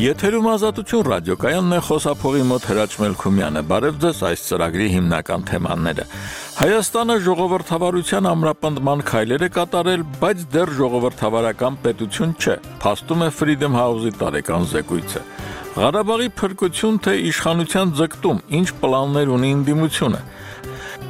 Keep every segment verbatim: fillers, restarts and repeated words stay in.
Եթերում Ազատություն ռադիոկայանն է, խոսափողի մոտ Հրաչ Մելքումյանը։ Բարև ձեզ, այս ծրագրի հիմնական թեմաները։ Հայաստանը ժողովրդավարության ամրապնդման քայլեր է կատարել, բայց դեռ ժողովրդավարական պետություն չէ, փաստում է Freedom House-ի տարեկան զեկույցը։ Ղարաբաղի փրկություն թե իշխանության ձգտում, ինչ պլաններ ունի ընդդիմությունը։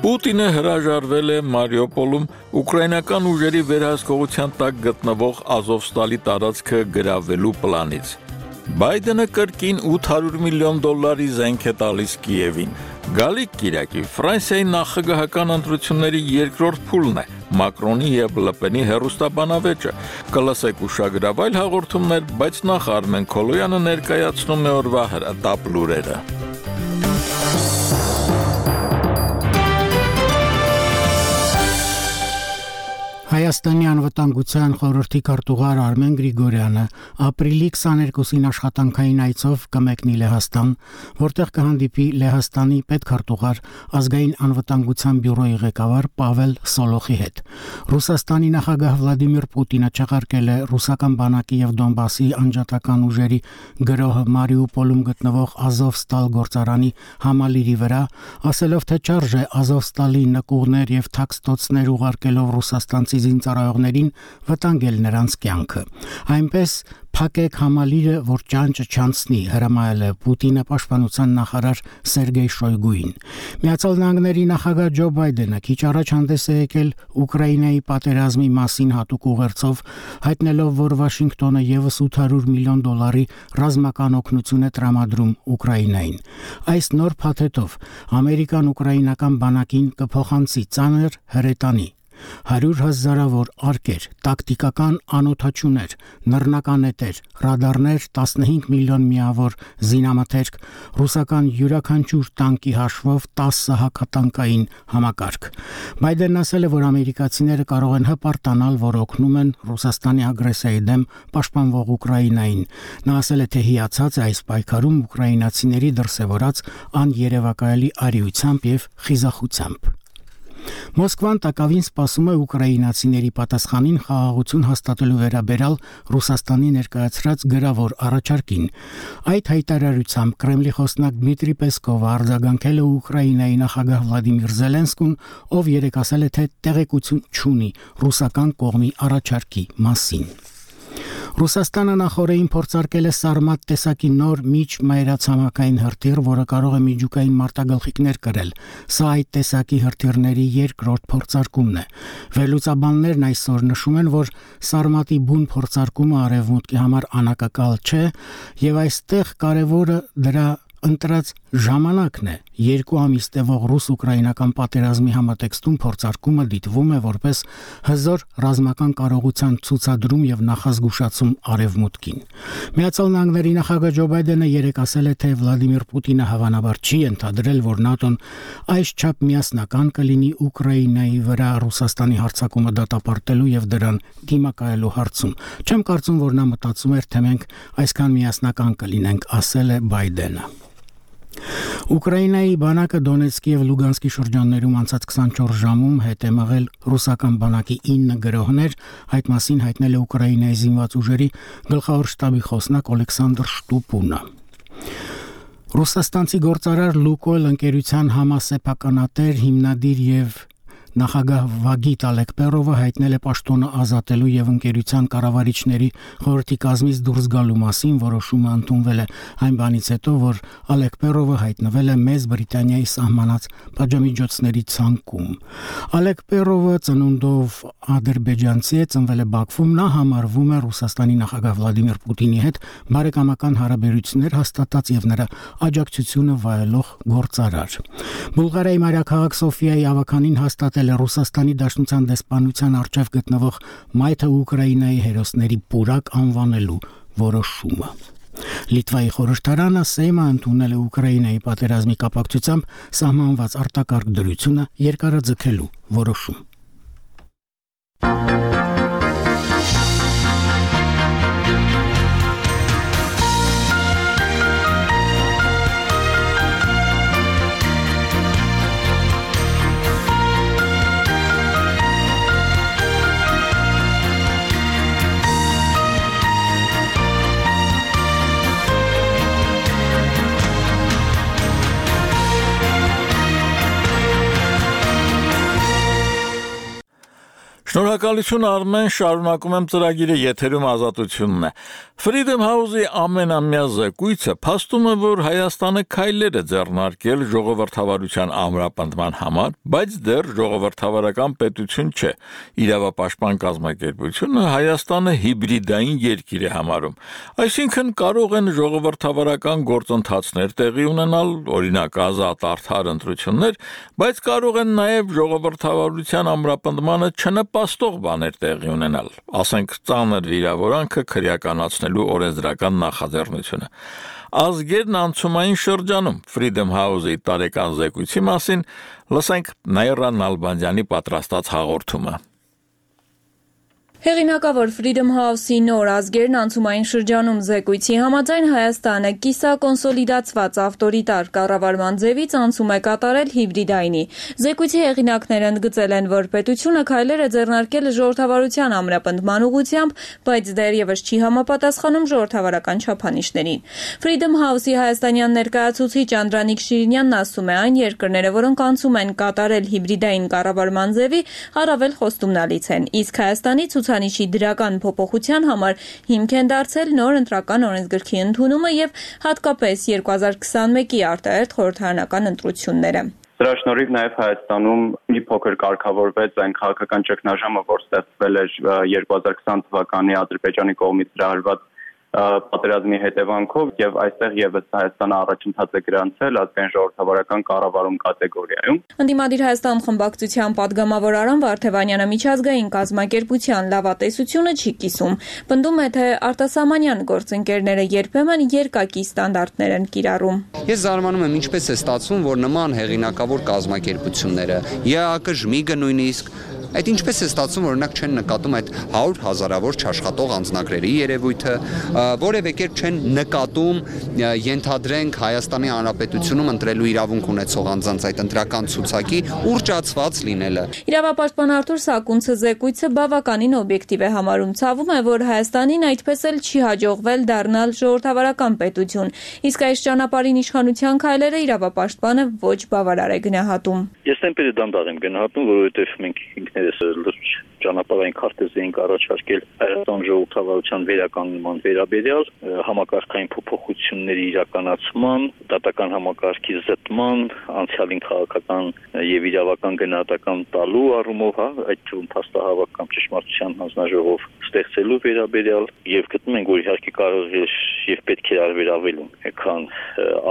Պուտինը հրաժարվել է Մարիուպոլում ուկրաինական ուժերի վերահսկողության տակ գտնվող Ազովստալի տարածքը գրավելու պլանից։ Բայդենը կրկին ութ հարյուր միլիոն դոլարի զենք է տալիս Կիևին։ Գալիք կիրակի Ֆրանսիայի նախագահական ընտրությունների երկրորդ փուլն է, Մակրոնի և Լպենի հեռուստաբանավեճը։ Կլսեք ուշագրավ այլ հաղորդումներ, բայց նախ Արմեն Քոլոյանը ներկայացնում է օրվա հրատապ լուրերը։ Հայաստանի անվտանգության խորհրդի քարտուղար Արմեն Գրիգորյանը ապրիլի քսաներկուսին աշխատանքային այցով կմեկնի Լեհաստան, որտեղ կհանդիպի Լեհաստանի պետքարտուղար ազգային անվտանգության բյուրոյի ղեկավար Պավել Սոլոխի հետ։ Ռուսաստանի նախագահ Վլադիմիր Պուտինը չեղարկել է ռուսական բանակի եւ Դոնբասի անջատական ուժերի գրոհը Մարիուպոլում գտնվող Ազովստալ գործարանի համալիրի վրա, ասելով թե չարժե Ազովստալի նկուղներ եւ թաքստոցներ ուղարկելով ռուսաստանցի զինծառայողներին վտանգել նրանց կյանքը։ Այնպես փակեք համալիրը, որ ճանճը չանցնի, հրամայել է Պուտինը պաշտպանության նախարար Սերգեյ Շոյգուին։ Միացյալ Նահանգների նախագահ Ջո Բայդենը քիչ առաջ հանդես է եկել Ուկրաինայի պատերազմի մասին հատուկ ուղերձով, հայտնելով, որ Վաշինգտոնը եւս ութ հարյուր միլիոն դոլարի ռազմական օգնություն է տրամադրում Ուկրաինային։ Այս նոր փաթեթով ամերիկան ուկրաինական բանակին կփոխանցի ծանր հրետանի հարյուր հազարավոր արկեր, տակտիկական անօդաչուներ, նռնականետեր, ռադարներ, տասնհինգ միլիոն միավոր զինամթերք, ռուսական յուրաքանչյուր տանկի հաշվով տասը հակատանկային համակարգ։ Բայդենն ասել է, որ ամերիկացիները կարող են հպարտանալ, որ օգնում են Ռուսաստանի ագրեսիայի դեմ պաշտպանվող Ուկրաինային։ Նա ասել է, թե հիացած է այս պայքարում ուկրաինացիների դրսևորած աներևակայելի արիությամբ եւ խիզախությամբ։ Մոսկվան տակավին սպասում է ուկրաինացիների պատասխանին խաղաղություն հաստատելու վերաբերյալ Ռուսաստանի ներկայացրած գրավոր առաջարկին։ Այդ հայտարարությամբ Կրեմլի խոսնակ Դմիտրի Պեսկովը արձագանքել է Ուկրաինայի նախագահ Վլադիմիր Զելենսկուն, ով երեկ ասել է, թե տեղեկություն չունի ռուսական կողմի առաջարկի մասին։ Ռուսաստանը նախորդին փորձարկել է Սարմատ տեսակի նոր միջմայրացամաքային հրթիռ, որը կարող է միջուկային մարտագլխիկներ կրել։ Սա այդ տեսակի հրթիռների երկրորդ փորձարկումն է։ Վերլուծաբաններն այսօր նշում են, որ Սարմատի բուն փորձարկումը արևմուտքի համար անակակալ չէ, եւ այստեղ կարևորը դրա ընտրած ժամանակն է։ Երկու ամիս տևող ռուս-ուկրաինական պատերազմի համատեքստում փորձարկումը դիտվում է որպես հզոր ռազմական կարողության ցուցադրում եւ նախազգուշացում արևմուտքին։ Միացյալ Նահանգների նախագահ Ջո Բայդենը երեկ ասել է, թե Վլադիմիր Պուտինը հավանաբար չի ենթադրել, որ ՆԱՏՕ-ն այսչափ միասնական կլինի Ուկրաինայի վրա Ռուսաստանի հարձակումը դատապարտելու եւ դրան դիմակայելու հարցում։ Չեմ կարծում, որ նա մտածում էր, թե մենք այսքան միասնական կլինենք, ասել է Բայդենը։ Ուկրաինայի բանակը Դոնեցկի եւ Լուգանսկի շրջաններում անցած քսանչորս ժամում հետ է մղել ռուսական բանակի ինը գրոհներ, այդ մասին հայտնել է Ուկրաինայի զինված ուժերի գլխավոր շտաբի խոսնակ Օլեքսանդր Շտուպունը։ Ռուսաստանցի գործարար Լուկոյլ ընկերության համասեփականատեր, հիմնադիր եւ նախագահ Վագիտ Ալեկպերովը հայտնել է պաշտոնը ազատելու եւ ընկերության կառավարիչների խորհրդի կազմից դուրս գալու մասին, որոշումը ընդունվել է այն բանից հետո, որ Ալեկպերովը հայտնվել է Մեծ Բրիտանիայի սահմանած պատժամիջոցների ցանկում։ Ալեկպերովը ծնունդով ադրբեջանցի է, ծնվել է Բաքվում, նա համարվում է Ռուսաստանի նախագահ Վլադիմիր Պուտինի հետ բարեկամական հարաբերություններ հաստատած եւ նրա աջակցությունը վայելող գործարար։ Բուլղարիայի մայրաքաղաք Սոֆիայի ավականին հաստատել է Ռուսաստանի Դաշնության դեսպանության առջև գտնվող Մայթը Ուկրաինայի հերոսների պուրակ անվանելու որոշումը։ Լիտվայի խորհրդարանը Սեյմը ընդունել է Ուկրաինայի պատերազմի կապակցությամբ սահմանված արտակարգ դրությունը երկարաձգելու որոշում։ Շնորհակալություն Արմեն, շարունակում եմ ծրագիրը, եթերում Ազատությունն է։ Freedom House-ի ամենամյա զեկույցը փաստում է, որ Հայաստանը քայլեր է ձեռնարկել ժողովրդավարության ամրապնդման համար, բայց դեռ ժողովրդավարական պետություն չէ։ Իրավապաշտպան կազմակերպությունը Հայաստանը հիբրիդային երկիր է համարում։ Այսինքն կարող են ժողովրդավարական գործընթացներ տեղի ունենալ, օրինակ ազատ արդար ընտրություններ, բայց կարող են նաև ժողովրդավարության ամրապնդմանը չնպաստող բաներ տեղի ունենալ, ասենք ծանր վիրավորանքը քրեականացնելու օրենսդրական նախաձեռնությունը։ Ազգերն անցումային շրջանում Freedom House-ի տարեկան զեկույցի մասին լսենք Նաիրա Նալբանդյանի պատրաստած հաղորդումը։ Հեղինակավոր Freedom House-ի նոր ազգերն անցումային շրջանում զեկույցի համաձայն Հայաստանը կիսակոնսոլիդացված ավտորիտար կառավարման ձևից անցում է կատարել հիբրիդայինի։ Զեկույցի հեղինակները ընդգծել են, որ պետությունը քայլեր է ձեռնարկել ժողովրդավարության ամրապնդման ուղղությամբ, բայց դեռևս չի համապատասխանում ժողովրդավարական չափանիշներին։ Freedom House-ի հայաստանյան ներկայացուցիչ Անդրանիկ Շիրինյանն ասում է, այն երկրները, որոնք անցում են կատարել հիբրիդային կառավարման ձևի, առավել խոստումնալից են, իսկ Հայաստանի ցուցանիշի դրական փոփոխության համար հիմք են դարձել նոր ընտրական օրենսգրքի ընդունումը եւ հատկապես երկու հազար քսաներկի արտահերթ խորհրդարանական ընտրությունները։ Դրա շնորհիվ նաև Հայաստանում մի փոքր կարգավորվեց այն քաղաքական ճգնաժամը, որ ստեղծվել էր երկու հազար քսան թվականի Ադրբեջանի կողմից հրահրված պատերազմի հետևանքով եւ այստեղ եւս Հայաստանը առաջընթաց է գրանցել ազգային ժողովրդավարական կառավարում կատեգորիայում։ Ընդդիմադիր Հայաստան խմբակցության падգամավոր Արամ Վարդևանյանը միջազգային կազմակերպության լավատեսությունը չի կիսում։ Պնդում է, թե արտասահմանյան գործընկերները երբեմն երկակի ստանդարտներ են կիրառում։ Ես զարմանում եմ, ինչպես է ստացվում, որ նման հեղինակավոր կազմակերպությունները, ԵԱԿ-ԺՄԻԳ-ը նույնիսկ այդ ինչպես է ստացվում, օրինակ չեն նկատում այդ հարյուր հազարավոր չաշխատող անձնագրերի երևույթը, որևէ կերպ չեն նկատում, ենթադրենք Հայաստանի Հանրապետությունում ընտրելու իրավունք ունեցող անձանց այդ ընտրական ցուցակի ուռճացված լինելը։ Իրավապաշտպան Արթուր Սակունցը զեկույցը բավականին օբյեկտիվ է համարում, ցավում է, որ Հայաստանին այդպես էլ չի հաջողվել դառնալ ժողովրդավարական պետություն, իսկ այս ճանապարհին իշխանության քայլերը իրավապաշտպանը ոչ բավարար է գնահատում։ Ես այնպես դանդաղ եմ գնահատում, որովհետև մենք ինքներս լուրջ ճանապարհային քարտեզ էինք առաջարկել Հայաստան ժողովրդավարության վերականգնման վերաբերյալ, համակարգային փոփոխությունների իրականացման, դատական համակարգի զտման, անցյալին քաղաքական եւ իրավական գնահատական տալու առումով, հա, այդ թվում փաստահավաք կամ ճշմարտության հանձնաժողով ստեղծելու վերաբերյալ եւ գտնում ենք, որ իհարկե կարող է եւ պետք է արվեր ավելում, քան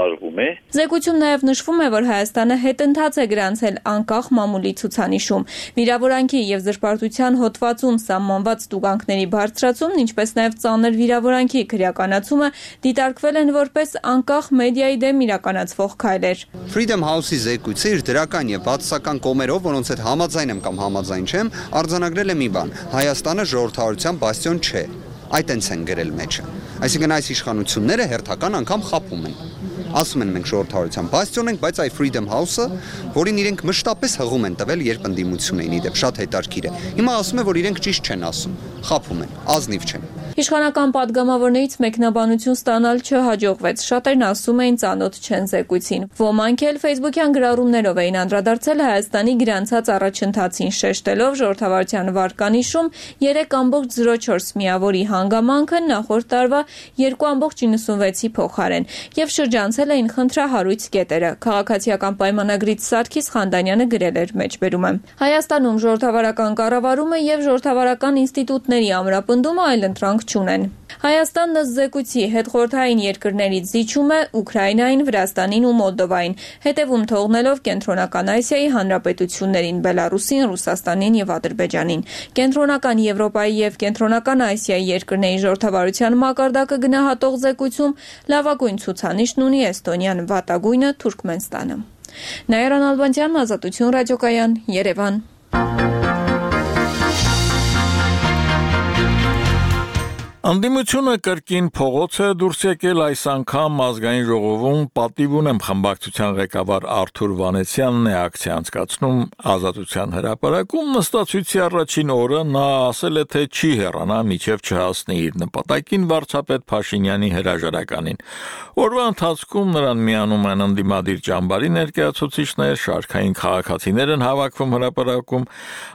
արվում է։ Զեկույցում նաեւ նշվում է, որ Հայաստանը հետընթաց է գրանցել անկախ մամուլի ցուցանիշում։ Վիրավորանքի եւ զրպարտության հոդվածում սահմանված տուգանքների բարձրացումն, ինչպես նաեւ ծանր վիրավորանքի քրեականացումը դիտարկվել են որպես անկախ մեդիայի դեմ իրականացվող քայլեր։ Freedom House-ի զեկույցը իր դրական եւ բացասական կողմերով, որոնց հետ համաձայն եմ կամ համաձայն չեմ, արձանագրել է մի բան. Հայաստանը ժողովրդավարության բաստիոն չէ։ Այդ տենց են գրել մեջը։ Այսինքն այս իշխանությունները հերթական անգամ խաբում են։ Ասում են մենք ժողովրդավարության բաստիոն ենք, բայց այ Freedom House-ը, որին իրենք մշտապես հղում են տվել, երբ ընդդիմություն էին իդեպ, շատ հետաքրքիր է։ Հիմա ասում է, որ իրենք ճիշտ չեն ասում, խաբում են, ազնիվ չեն։ Իշխանական падգամավորներից մեկնաբանություն ստանալ չհաջողվեց։ Շատերն ասում էին ծանոթ չեն զեկույցին։ Ոմանք էլ Facebook-յան գրառումներով էին անդրադարձել Հայաստանի գրանցած առաջընթացին, շեշտելով ժողովրդավարության վարկանիշում երեք կόμ զիրո չորս միավորի հանգամանքը նախորդ տարվա երկու կόμ նվեցի փոխարեն եւ շրջանցել էին խնդրահարույց կետերը։ Քաղաքացիական պայմանագրից Սարգիս Խանդանյանը գրել էր մեջբերումը։ Հայաստանում ժողովրդավարական կառավարումը եւ ժողովրդավարական ինստիտուտների ամրապնդումը այլընտրանք չունեն։ Հայաստանն ըստ զեկույցի հետխորհրդային երկրներից զիջում է Ուկրաինային, Վրաստանին ու Մոլդովային, հետևում թողնելով Կենտրոնական Ասիայի հանրապետություններին՝ Բելարուսին, Ռուսաստանին եւ Ադրբեջանին։ Կենտրոնական Եվրոպայի եւ Կենտրոնական Ասիայի երկրների ժողովրդավարության մակարդակը գնահատող զեկույցում լավագույն ցուցանիշն ունի Էստոնիան, վատագույնը Թուրքմենստանը։ Նաիրա Նալբանդյան, Ազատություն ռադիոկայան, Երևան։ Անդիմությունը կրկին փողոց է դուրս եկել այս անգամ ազգային ժողովում պատիվ ունեմ խմբակցության ղեկավար Արթուր Վանեցյանն է ակցիա անցկացնում Ազատության հրապարակում նստածույցի առաջին օրը նա ասել է թե չի հեռանա մինչև չհասնի իր նպատակին վարչապետ Փաշինյանի հրաժարականին օրվա ընթացքում նրան միանում են անդիմադիր ճամբարի ներկայացուցիչներ շարքային քաղաքացիներ են հավաքվում հրապարակում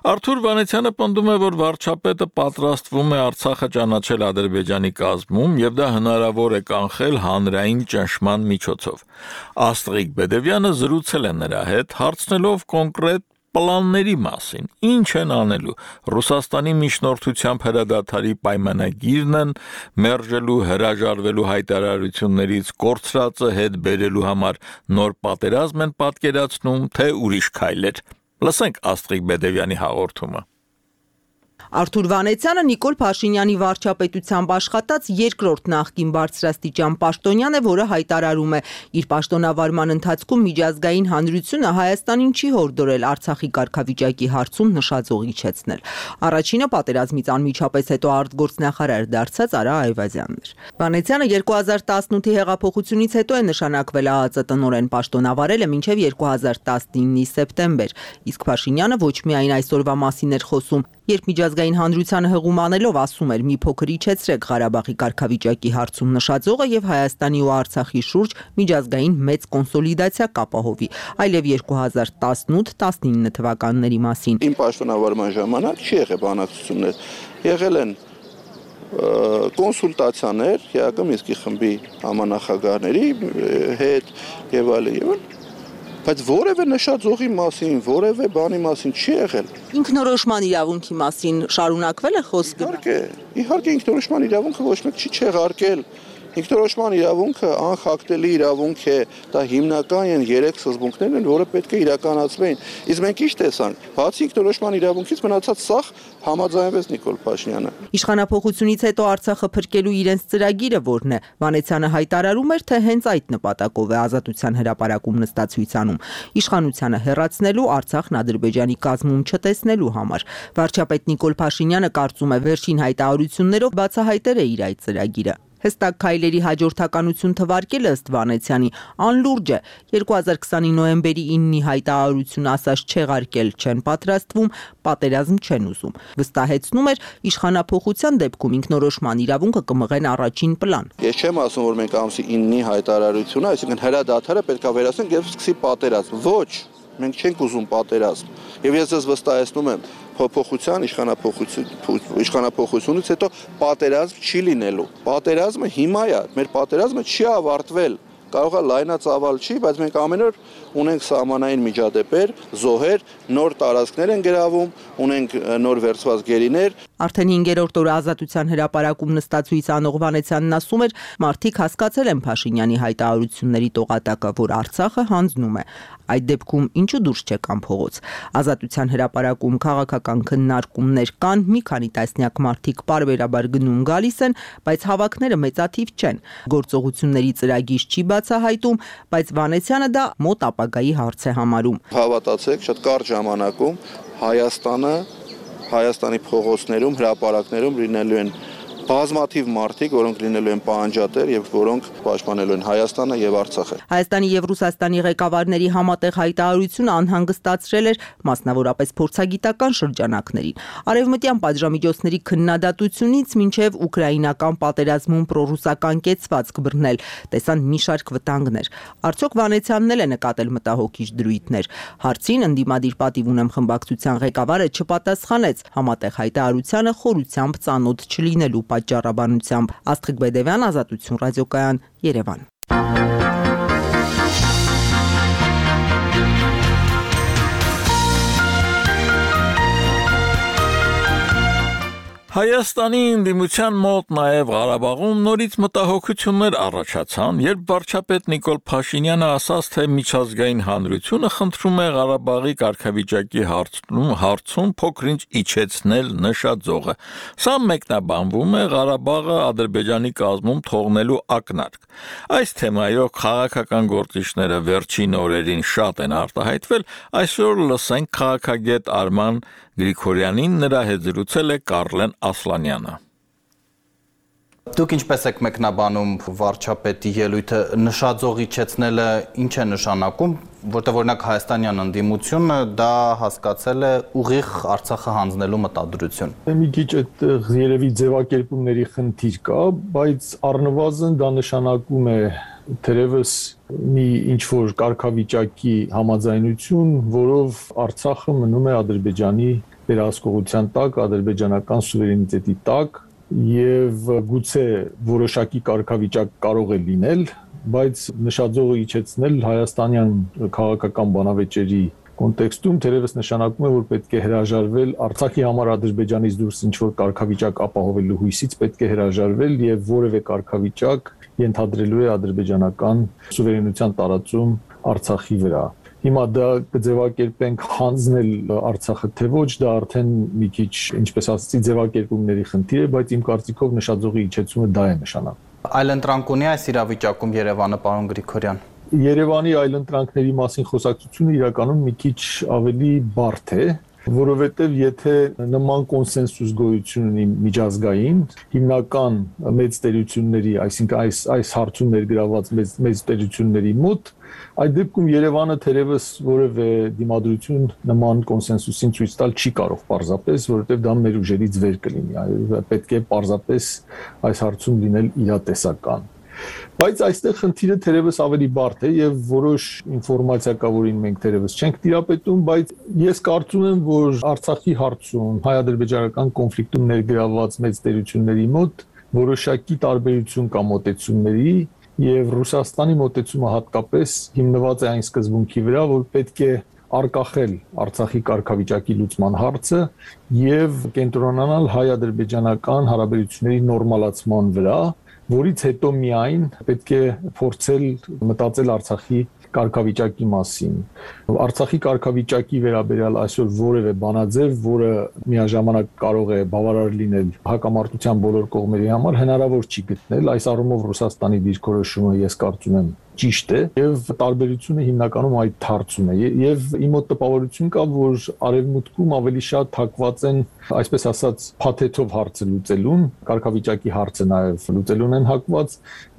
Արթուր Վանեցյանը պնդում է որ վարչապետը պատրաստվում է Արցախը ճանաչել Ադրբեջանի կազմում եւ դա հնարավոր է կանխել հանրային ճնշման միջոցով։ Աստղիկ Բեդևյանը զրուցել է նրա հետ, հարցնելով կոնկրետ պլանների մասին։ Ինչ են անելու։ Ռուսաստանի միջնորդությամբ հրադադարի պայմանագիրն են մերժելու, հրաժարվելու հայտարարություններից կորցրածը հետ բերելու համար նոր պատերազմ են պատկերացնում, թե ուրիշ քայլեր։ Լսենք Աստղիկ Բեդևյանի հաղորդումը։ Արթուր Վանեցյանը Նիկոլ Փաշինյանի վարչապետությամբ աշխատած երկրորդ նախկին բարձրաստիճան պաշտոնյան է, որը հայտարարում է իր պաշտոնավարման ընթացքում միջազգային հանրությունը Հայաստանին չի հորդորել Արցախի կարգավիճակի հարցում նշաձող իջեցնել։ Առաջինը պատերազմից անմիջապես հետո արտգործնախարար դարձած Արա Այվազյանն էր։ Վանեցյանը երկու հազար տասնութի հեղափոխությունից հետո է նշանակվել ԱԱԾ տնօրեն, պաշտոնավարել է մինչև երկու հազար տասնինի սեպտեմբեր, իսկ Փաշինյանը ոչ միայն այսօրվա մասին էր խոսում, երբ միջազգային հանրությանը հղում անելով ասում էր մի փոքր իջեցրեք Ղարաբաղի կարգավիճակի հարցում նշաձողը եւ Հայաստանի ու Արցախի շուրջ միջազգային մեծ կոնսոլիդացիա կապահովի, այլև երկու հազար տասնութ տասնինը թվականների մասին։ Իմ պաշտոնավարման ժամանակ չի եղել բանակցություններ, եղել են կոնսուլտացիաներ ԵԱԿ Մինսկի խմբի համանախագահների հետ եւ այլն եւ այլն բայց որևէ նշաձողի մասին, որևէ բանի մասին չի եղել։ Ինքնորոշման իրավունքի մասին շարունակվել է խոսքը։ Իհարկե, իհարկե ինքնորոշման իրավունքը ոչ մեկ չի չեղարկել։ Ինքնորոշման իրավունքը անխախտելի իրավունք է, դա հիմնական են երեք սկզբունքներն են, որը պետք է իրականացվեն։ Իսկ մենք ինչ տեսանք, բացի ինքնորոշման իրավունքից մնացած սաղ համաձայնվեց Նիկոլ Փաշինյանը։ Իշխանափոխությունից հետո Արցախը փրկելու իրենց ծրագիրը որն է։ Վանեցյանը հայտարարում էր, թե հենց այդ նպատակով է Ազատության հրապարակում նստածույց անում։ Իշխանությանը հեռացնելու, Արցախն Ադրբեջանի կազմում չտեսնելու համար։ Վարչապետ Նիկոլ Փաշինյանը կարծում է վերջին հայտարարություններով բացահայտել է իր այդ ծրագիրը։ Հստակ քայլերի հաջորդականություն թվարկելը ըստ Վանեցյանի անլուրջ է։ երկու հազար քսանի նոյեմբերի իննի հայտարարություն ասած չեղարկել չեն պատրաստվում, պատերազմ չեն ուզում։ Վստահեցնում էր իշխանափոխության դեպքում ինքնորոշման իրավունքը կմղեն առաջին պլան։ Ես չեմ ասում, որ մենք ամսի իննի հայտարարությունը, այսինքն հրադադարը պետք է վերացնենք եւ սկսի պատերազմ։ Ոչ, մենք չենք ուզում պատերազմ։ Եվ ես ձեզ վստահեցնում եմ, փոփոխության իշխանափոխություն իշխանափոխությունից հետո պատերազմ չի լինելու։ Պատերազմը հիմա է, մեր պատերազմը չի ավարտվել։ Կարող է լայնածավալ չի, բայց մենք ամեն օր ունենք սահմանային միջադեպեր, զոհեր, նոր տարածքներ են գրավում, ունենք նոր վերցված գերիներ։ Արդեն հինգերորդ օրը Ազատության հրապարակում նստածույց անող Վանեցյանն ասում էր, մարդիկ հասկացել են Փաշինյանի հայտարարությունների տողատակը, որ Արցախը հանձնում է։ Այդ դեպքում ինչու դուրս չեկան փողոց։ Ազատության հրապարակում քաղաքական քննարկումներ կան, մի քանի տասնյակ մարդիկ պարբերաբար գնում գալիս են, բայց հավաքները մեծաթիվ չեն։ Գործողությունների ծրագիր չի բացահայտում, բայց Վանեցյանը դա մոտ ապագայի հարց է համարում։ Հավատացեք, շատ կարճ ժամանակում Հայաստանը, Հայաստանի փողոցներում, հրապարակներում լինելու են բազմաթիվ մարդիկ, որոնք լինելու են պահանջատեր եւ որոնք պաշտպանելու են Հայաստանը եւ Արցախը։ Հայաստանի եւ Ռուսաստանի ղեկավարների համատեղ հայտարարությունը անհանգստացրել էր մասնավորապես փորձագիտական շրջանակներին։ Արևմտյան պատժամիջոցների քննադատությունից մինչև ուկրաինական պատերազմում պրոռուսական կեցվածք բռնել, տեսան մի շարք վտանգներ։ Արդյոք Վանեցյանն էլ է նկատել մտահոգիչ դրույթներ։ Հարցին ընդդիմադիր պատիվ ունեմ խմբակցության ղեկավարը չպատասխանեց, համատեղ հայտարարությանը խորությամբ ծանոթ չլինելու պատճառաբանությամբ։ Աստղիկ Բեդևյան, Ազատություն ռադիոկայան, Երևան։ Հայաստանի ընդդիմության մոտ նաև Ղարաբաղում նորից մտահոգություններ առաջացան, երբ վարչապետ Նիկոլ Փաշինյանը ասաց, թե միջազգային հանրությունը խնդրում է Ղարաբաղի կարգավիճակի հարցում, հարցում փոքրինչ իջեցնել նշաձողը։ Սա մեկնաբանվում է Ղարաբաղը Ադրբեջանի կազմում թողնելու ակնարկ։ Այս թեմայով քաղաքական գործիչները վերջին օրերին շատ են արտահայտվել, այսօր լսենք քաղաքագետ Արման Գրիգորյանին, նրա հետ զրուցել է Կարլեն Ասլանյանը։ Դուք ինչպես եք մեկնաբանում վարչապետի ելույթը, նշաձող իջեցնելը ինչ է նշանակում, որտեղ օրինակ հայաստանյան ընդդիմությունը դա հասկացել է ուղիղ Արցախը հանձնելու մտադրություն։ Մի քիչ այդտեղ երևի ձևակերպումների խնդիր կա, բայց առնվազն դա նշանակում է թերևս մի ինչ-որ կարգավիճակի համաձայնություն, որով Արցախը մնում է Ադրբեջանի վերահսկողության տակ, ադրբեջանական սուվերենիտետի տակ, եւ գուցե որոշակի կարգավիճակ կարող է լինել, բայց նշաձողը իջեցնել հայաստանյան քաղաքական բանավեճերի կոնտեքստում թերևս նշանակում է, որ պետք է հրաժարվել Արցախի համար Ադրբեջանից դուրս ինչ-որ կարգավիճակ ապահովելու հույսից, պետք է հրաժարվել եւ որևէ կարգավիճակ ենթադրելու է ադրբեջանական սուվերենության տարածում Արցախի վրա։ Հիմա դա կձևակերպենք հանձնել Արցախը թե ոչ, դա արդեն մի քիչ, ինչպես ասացի, ձևակերպումների խնդիր է, բայց իմ կարծիքով նշաձողի իջեցումը դա է նշանակում։ Այլընտրանք ունի այս իրավիճակում Երևանը, պարոն Գրիգորյան։ Երևանի այլընտրանքների մասին խոսակցությունը իրականում մի քիչ ավելի բարդ է, որովհետև եթե նման կոնսենսուս գոյություն ունի միջազգային, հիմնական մեծ տերությունների, այսինքն այս այս հարցում ներգրաված մեծ մեծ տերությունների մոտ, այդ դեպքում Երևանը թերևս որևէ դիմադրություն նման կոնսենսուսին ցույց տալ չի կարող պարզապես, որովհետև դա մեր ուժերից վեր կլինի, պետք է պարզապես այս հարցում լինել իրատեսական։ Բայց այստեղ խնդիրը թերևս ավելի բարդ է եւ որոշ ինֆորմացիա կա, որին մենք թերևս չենք տիրապետում, բայց ես կարծում եմ, որ Արցախի հարցում հայ-ադրբեջանական կոնֆլիկտում ներգրավված մեծ տերությունների մոտ որոշակի տարբերություն կա մոտեցումների եւ Ռուսաստանի մոտեցումը հատկապես հիմնված է այն սկզբունքի վրա, որ պետք է արկախել Արցախի կարգավիճակի լուծման հարցը եւ կենտրոնանալ հայ-ադրբեջանական հարաբերությունների նորմալացման վրա, որից հետո միայն պետք է փորձել մտածել Արցախի կարգավիճակի մասին։ Արցախի կարգավիճակի վերաբերյալ այսօր որևէ բանաձև, որը միաժամանակ կարող է բավարար լինել հակամարտության բոլոր կողմերի համար, հնարավոր չի գտնել։ Այս առումով Ռուսաստանի դիրքորոշումը ես կարծում եմ ճիշտ է եւ տարբերությունը հիմնականում այդ հարցում է եւ իմ մոտ տպավորություն կա, որ արևմուտքում ավելի շատ հակված են, այսպես ասած, փաթեթով հարցը լուծելուն, կարգավիճակի հարցը նաեւ լուծելուն են հակված,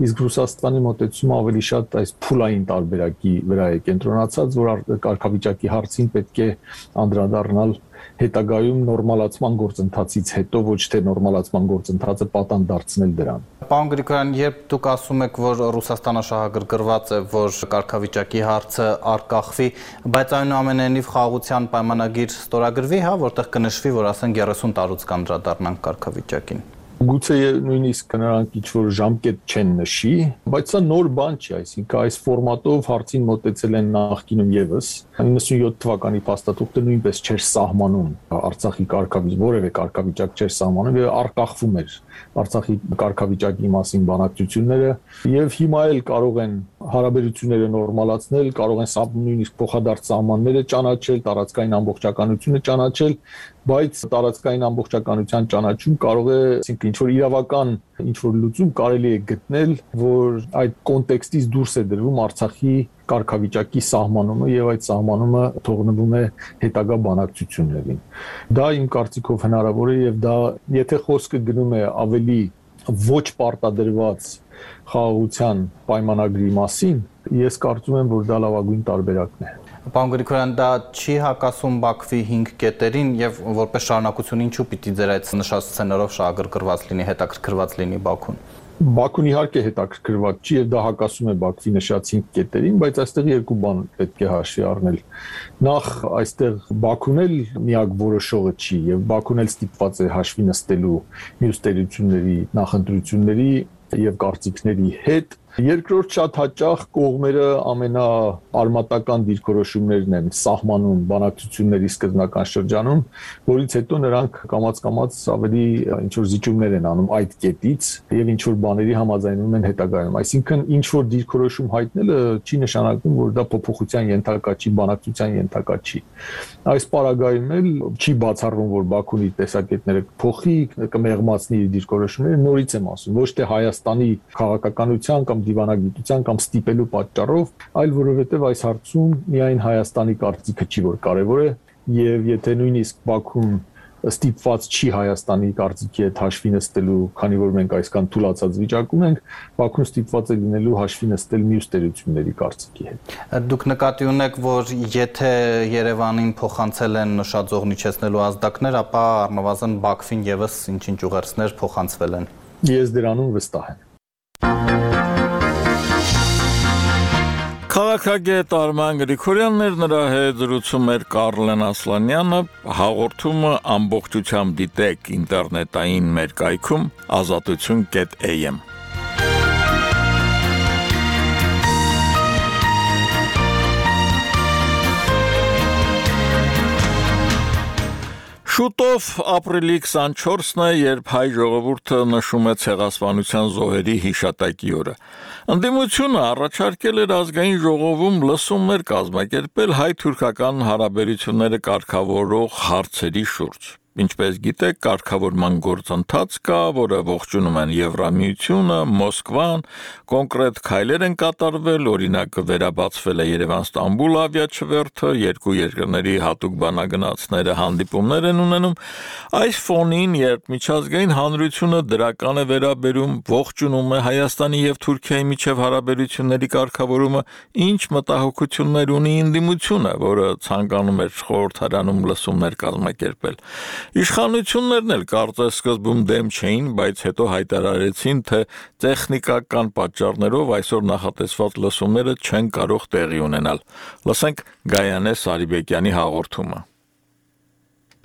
իսկ Ռուսաստանի մոտեցումը ավելի շատ այս փուլային տարբերակի վրա է կենտրոնացած, որ կարգավիճակի հարցին պետք է անդրադառնալ հետագայում նորմալացման գործընթացից հետո, ոչ թե նորմալացման գործընթացը պատան դարձնել դրան։ Պարոն Գրիգորյան, երբ դուք ասում եք, որ Ռուսաստանը շահագրգռված է, որ կարգավիճակի հարցը արկախվի, բայց այնուամենայնիվ խաղաղության պայմանագիր ստորագրվի, հա, որտեղ կնշվի, որ ասենք երեսուն տարուց կանդրադառնանք կարգավիճակին։ Գուցե նույնիսկ նրանք ինչ-որ ժամկետ չեն նշի, բայց սա նոր բան չի, այսինքն այս ֆորմատով հարցին մոտեցել են նախկինում եւս իննսունյոթ թվականի փաստաթուղթը նույնպես չէր սահմանում Արցախի կարգավիճակ, որևէ կարգավիճակ չէր սահմանում եւ արկախվում էր Արցախի կարգավիճակի մասին բանակցությունները եւ հիմա էլ կարող են հարաբերությունները նորմալացնել, կարող են նույնիսկ փոխադարձ սահմանները ճանաչել, տարածքային ամբողջականությունը ճանաչել, բայց տարածքային ամբողջականության ճանաչում կարող է, այսինքն ինչ-որ իրավական ինչ-որ լուծում կարելի է գտնել, որ այդ կոնտեքստից դուրս է դրվում Արցախի կարգավիճակի սահմանումը եւ այդ սահմանումը թողնվում է հետագա բանակցություններին։ Դա իմ կարծիքով հնարավոր է եւ դա, եթե խոսքը գնում է ավելի ոչ պարտադրված խաղաղության պայմանագրի մասին, ես կարծում եմ, որ դա լավագույն տարբերակն է։ Պարոն Գրիգորյան, դա չի հակասում Բաքվի հինգ կետերին եւ որպես շարունակություն ինչու պիտի ձեր այդ նշած սցենարով շահագրգռված լինի, հետաքրքրված լինի Բաքուն։ Բաքուն իհարկե հետաքրքրված չի եւ դա հակասում է Բաքվի նշած հինգ կետերին, բայց այստեղ երկու բան պետք է հաշվի առնել։ Նախ այստեղ Բաքուն էլ միակ որոշողը չի եւ Բաքուն էլ ստիպված է հաշվի նստելու մյուս տերությունների նախընտրությունների եւ կարծիքների հետ։ Երկրորդ, շատ հաճախ կողմերը ամենաարմատական դիրքորոշումներն են սահմանում բանակցությունների սկզբնական շրջանում, որից հետո նրանք կամաց-կամաց ավելի ինչ-որ զիջումներ են անում այդ կետից եւ ինչ-որ բաների համաձայնում են հետագայում։ Այսինքն ինչ-որ դիրքորոշում հայտնելը չի նշանակում, որ դա փոփոխության ենթակա չի, բանակցության ենթակա չի։ Այս պարագայում էլ չի բացառվում, որ Բաքուն իր տեսակետները կփոխի, կմեղմացնի իր դիրքորոշումները, նորից եմ ասում, ոչ թե Հայաստանի քաղաքականության կամ դիվանագիտության կամ ստիպելու պատճառով, այլ որովհետև այս հարցում միայն Հայաստանի կարծիքը չի, որ կարևոր է, եւ եթե նույնիսկ Բաքուն ստիպված չի Հայաստանի կարծիքի հետ հաշվի նստելու, քանի որ մենք այսքան թուլացած վիճակում ենք, Բաքուն ստիպված է լինելու հաշվի նստել մյուս տերությունների կարծիքի հետ։ Դուք նկատի ունեք, որ եթե Երևանին փոխանցել են նշաձողն իջեցնելու ազդակներ, ապա առնվազն Բաքվին եւս ինչ-ինչ ուղերձներ փոխանցվել են։ Ես դրանում վստահ եմ։ Քաղաքագետ Արման Գրիգորյանն էր, նրա հետ զրուցում էր Կարլեն Ասլանյանը, հաղորդումը ամբողջությամբ դիտեք ինտերնետային մեր կայքում ազատություն կետ էյ էմ։ Շուտով ապրիլի քսանչորսն է, երբ հայ ժողովուրդը նշում է ցեղասպանության զոհերի հիշատակի օրը։ Ընդդիմությունը առաջարկել էր ազգային ժողովում լսումներ կազմակերպել հայ-թուրքական հարաբերությունները կարգավորող հարցերի շուրջ։ Ինչպես գիտեք, կարգավորման գործընթաց կա, որը ողջունում են Եվրամիությունը, Մոսկվան, կոնկրետ քայլեր են կատարվել, օրինակ վերաբացվել է Երևան-Ստամբուլ ավիաչվերթը, երկու երկրների հատուկ բանագնացները հանդիպումներ են ունենում։ Այս ֆոնին, երբ միջազգային հանրությունը դրական է վերաբերում, ողջունում է Հայաստանի եւ Թուրքիայի միջև հարաբերությունների կարգավորումը, ինչ մտահոգություններ ունի ընդդիմությունը, որը ցանկանում էր խորհրդարանում լսումներ կազմակերպել։ Իշխանություններն էլ կարծես սկզբում դեմ չէին, բայց հետո հայտարարեցին, թե տեխնիկական պատճառներով այսօր նախատեսված լսումները չեն կարող տեղի ունենալ։ Լսենք Գայանե Սարիբեկյանի հաղորդումը։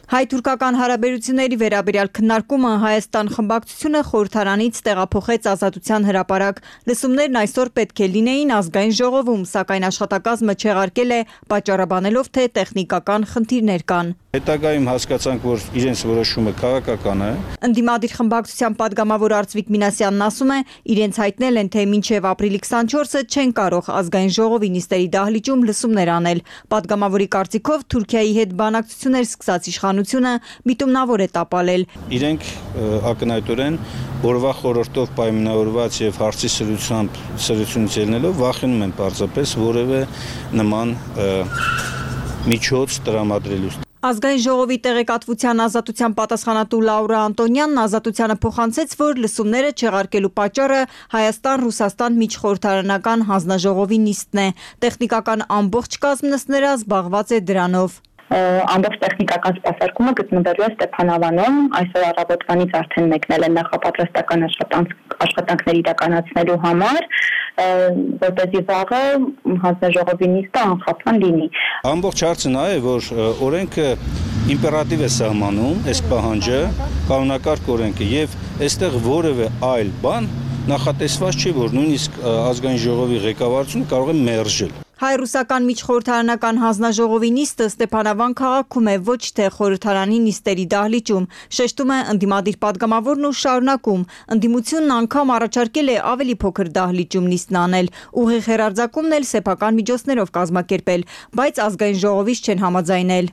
Հայ-թուրքական հարաբերությունների վերաբերյալ քննարկումը Հայաստան խմբակցությունը խորհրդարանից տեղափոխեց Ազատության հրապարակ։ Լսումներն այսօր պետք է լինեին ազգային ժողովում, սակայն աշխատակազմը չեղարկել է, պատճառաբանելով, թե տեխնիկական խնդիրներ կան։ Հետագայում հասկացանք, որ իրենց որոշումը քաղաքական է։ Ընդդիմադիր խմբակցության падգամավոր Արծվիկ Մինասյանն ասում է, իրենց հայտնել են, թե մինչև ապրիլի քսանչորսը չեն կարող ազգային ժողովի նիստերի դահլիճում լսումներ անել։ Падգամավորի կարծիքով Թուրքիայի հետ բանակցություններ սկսած իշխանությունը միտումնավոր է տապալել։ Իրենք ակնհայտորեն օրվա խորհրդով պայմանավորված եւ հարցի սրությամբ սրությունից ելնելով վախենում են պարզապես որևէ նման միջոց տրամադրելու։ Ազգային ժողովի տեղեկատվության ազատության պատասխանատու Լաուրա Անտոնյանն ազատությանը փոխանցեց, որ լսումները չեղարկելու պատճառը Հայաստան-Ռուսաստան միջխորհրդարանական հանձնաժողովի նիստն է։ Տեխնիկական ամբողջ կազմն ըստ նրա զբաղված է դրանով։ Ամբողջ տեխնիկական սպասարկումը գտնվելու է Ստեփանավանում, այսօր առավոտվանից արդեն մեկնել են նախապատրաստական աշխատանքներ իրականացնելու համար, որպեսզի վաղը հանձնաժողովի նիստը անխափան լինի։ Ամբողջ հարցը նա է, որ օրենքը իմպերատիվ է սահմանում, այս պահանջը, կանոնակարգ օրենքը եւ այստեղ որևէ այլ բան նախատեսված չի, որ նույնիսկ ազգային ժողովի ղեկավարությունը կարող է մերժել։ Հայ-ռուսական միջխորհրդարանական հանձնաժողովի նիստը Ստեփանավան քաղաքում է, ոչ թե խորհրդարանի նիստերի դահլիճում, շեշտում է ընդդիմադիր падգամավորն ու շարունակում։ Ընդդիմությունն անգամ առաջարկել է ավելի փոքր դահլիճում նիստն անել, ուղիղ հեռարձակումն էլ սեփական միջոցներով կազմակերպել, բայց ազգային ժողովից չեն համաձայնել։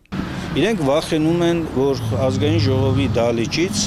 Իրենք վախենում են, որ ազգային ժողովի դահլիճից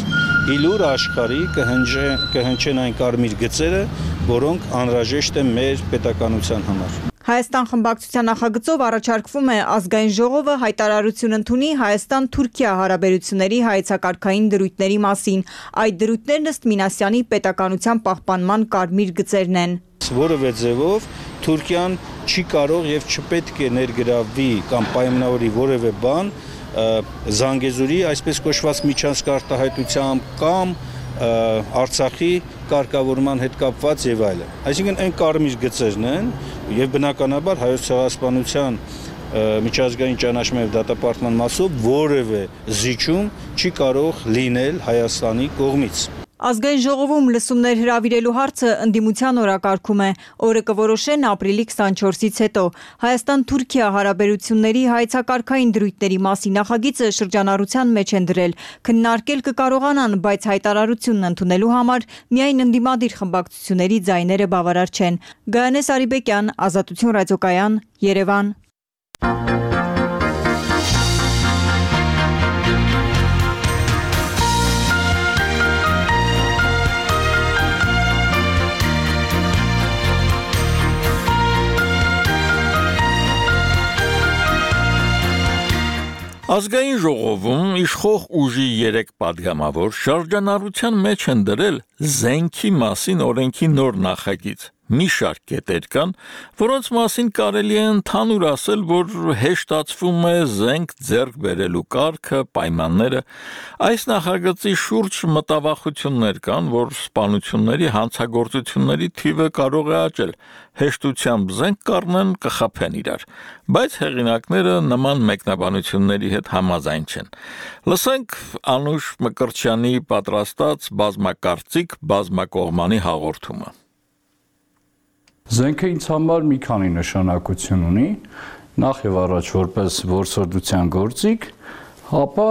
իլուր աշխարհի կհնչեն այն կարմիր գծերը, որոնք անհրաժեշտ են մեր պետականության համար։ Հայաստան խմբակցության նախագծով առաջարկվում է ազգային ժողովը հայտարարություն ընդունի Հայաստան-Թուրքիա հարաբերությունների հայեցակարգային դրույթների մասին։ Այդ դրույթներն ըստ Մինասյանի պետականության պահպանման կարմիր գծերն են։ Որևէ ձևով Թուրքիան չի կարող եւ չպետք է ներգրավվի կամ պայմանավորի որևէ բան Զանգեզուրի այսպես կոչված միջանցք արտահայտությամբ կամ Արցախի կարգավորման հետ կապված եւ այլն։ Այսինքն այն կարմիր գծերն են եւ բնականաբար հայոց ցեղասպանության միջազգային ճանաչման եւ դատապարտման մասով որևէ զիջում չի կարող լինել Հայաստանի կողմից։ Ազգային ժողովում լսումներ հրավիրելու հարցը ընդդիմության օրակարգում է։ Օրը կորոշեն ապրիլի քսանչորսից հետո։ Հայաստան-Թուրքիա հարաբերությունների հայեցակարգային դրույթների մասին նախագիծը շրջանառության մեջ են դրել։ Քննարկել կկարողանան, բայց հայտարարությունն ընդունելու համար միայն ընդդիմադիր խմբակցությունների ձայները բավարար չեն։ Գայանե Սարիբեկյան, Ազատություն ռադիոկայան, Երևան։ Ազգային ժողովում իշխող ուժի երեք պատգամավոր շրջանառության մեջ են դրել զենքի մասին օրենքի նոր նախագիծ։ Մի շարք կետեր կան, որոնց մասին կարելի է ընդհանուր ասել, որ հեշտացվում է զենք ձեռք բերելու կարգը, պայմանները։ Այս նախագծի շուրջ մտավախություններ կան, որ սպանությունների հանցագործությունների թիվը կարող է աճել, հեշտությամբ զենք կառնեն, կխաբեն իրար, բայց հեղինակները նման մեկնաբանությունների հետ համաձայն չեն։ Լսենք Անուշ Մկրտչյանի պատրաստած բազմակարծիք բազմակողմանի հաղորդումը։ Զենքը ինձ համար մի քանի նշանակություն ունի, նախ եւ առաջ որպես որսորդության գործիք, ապա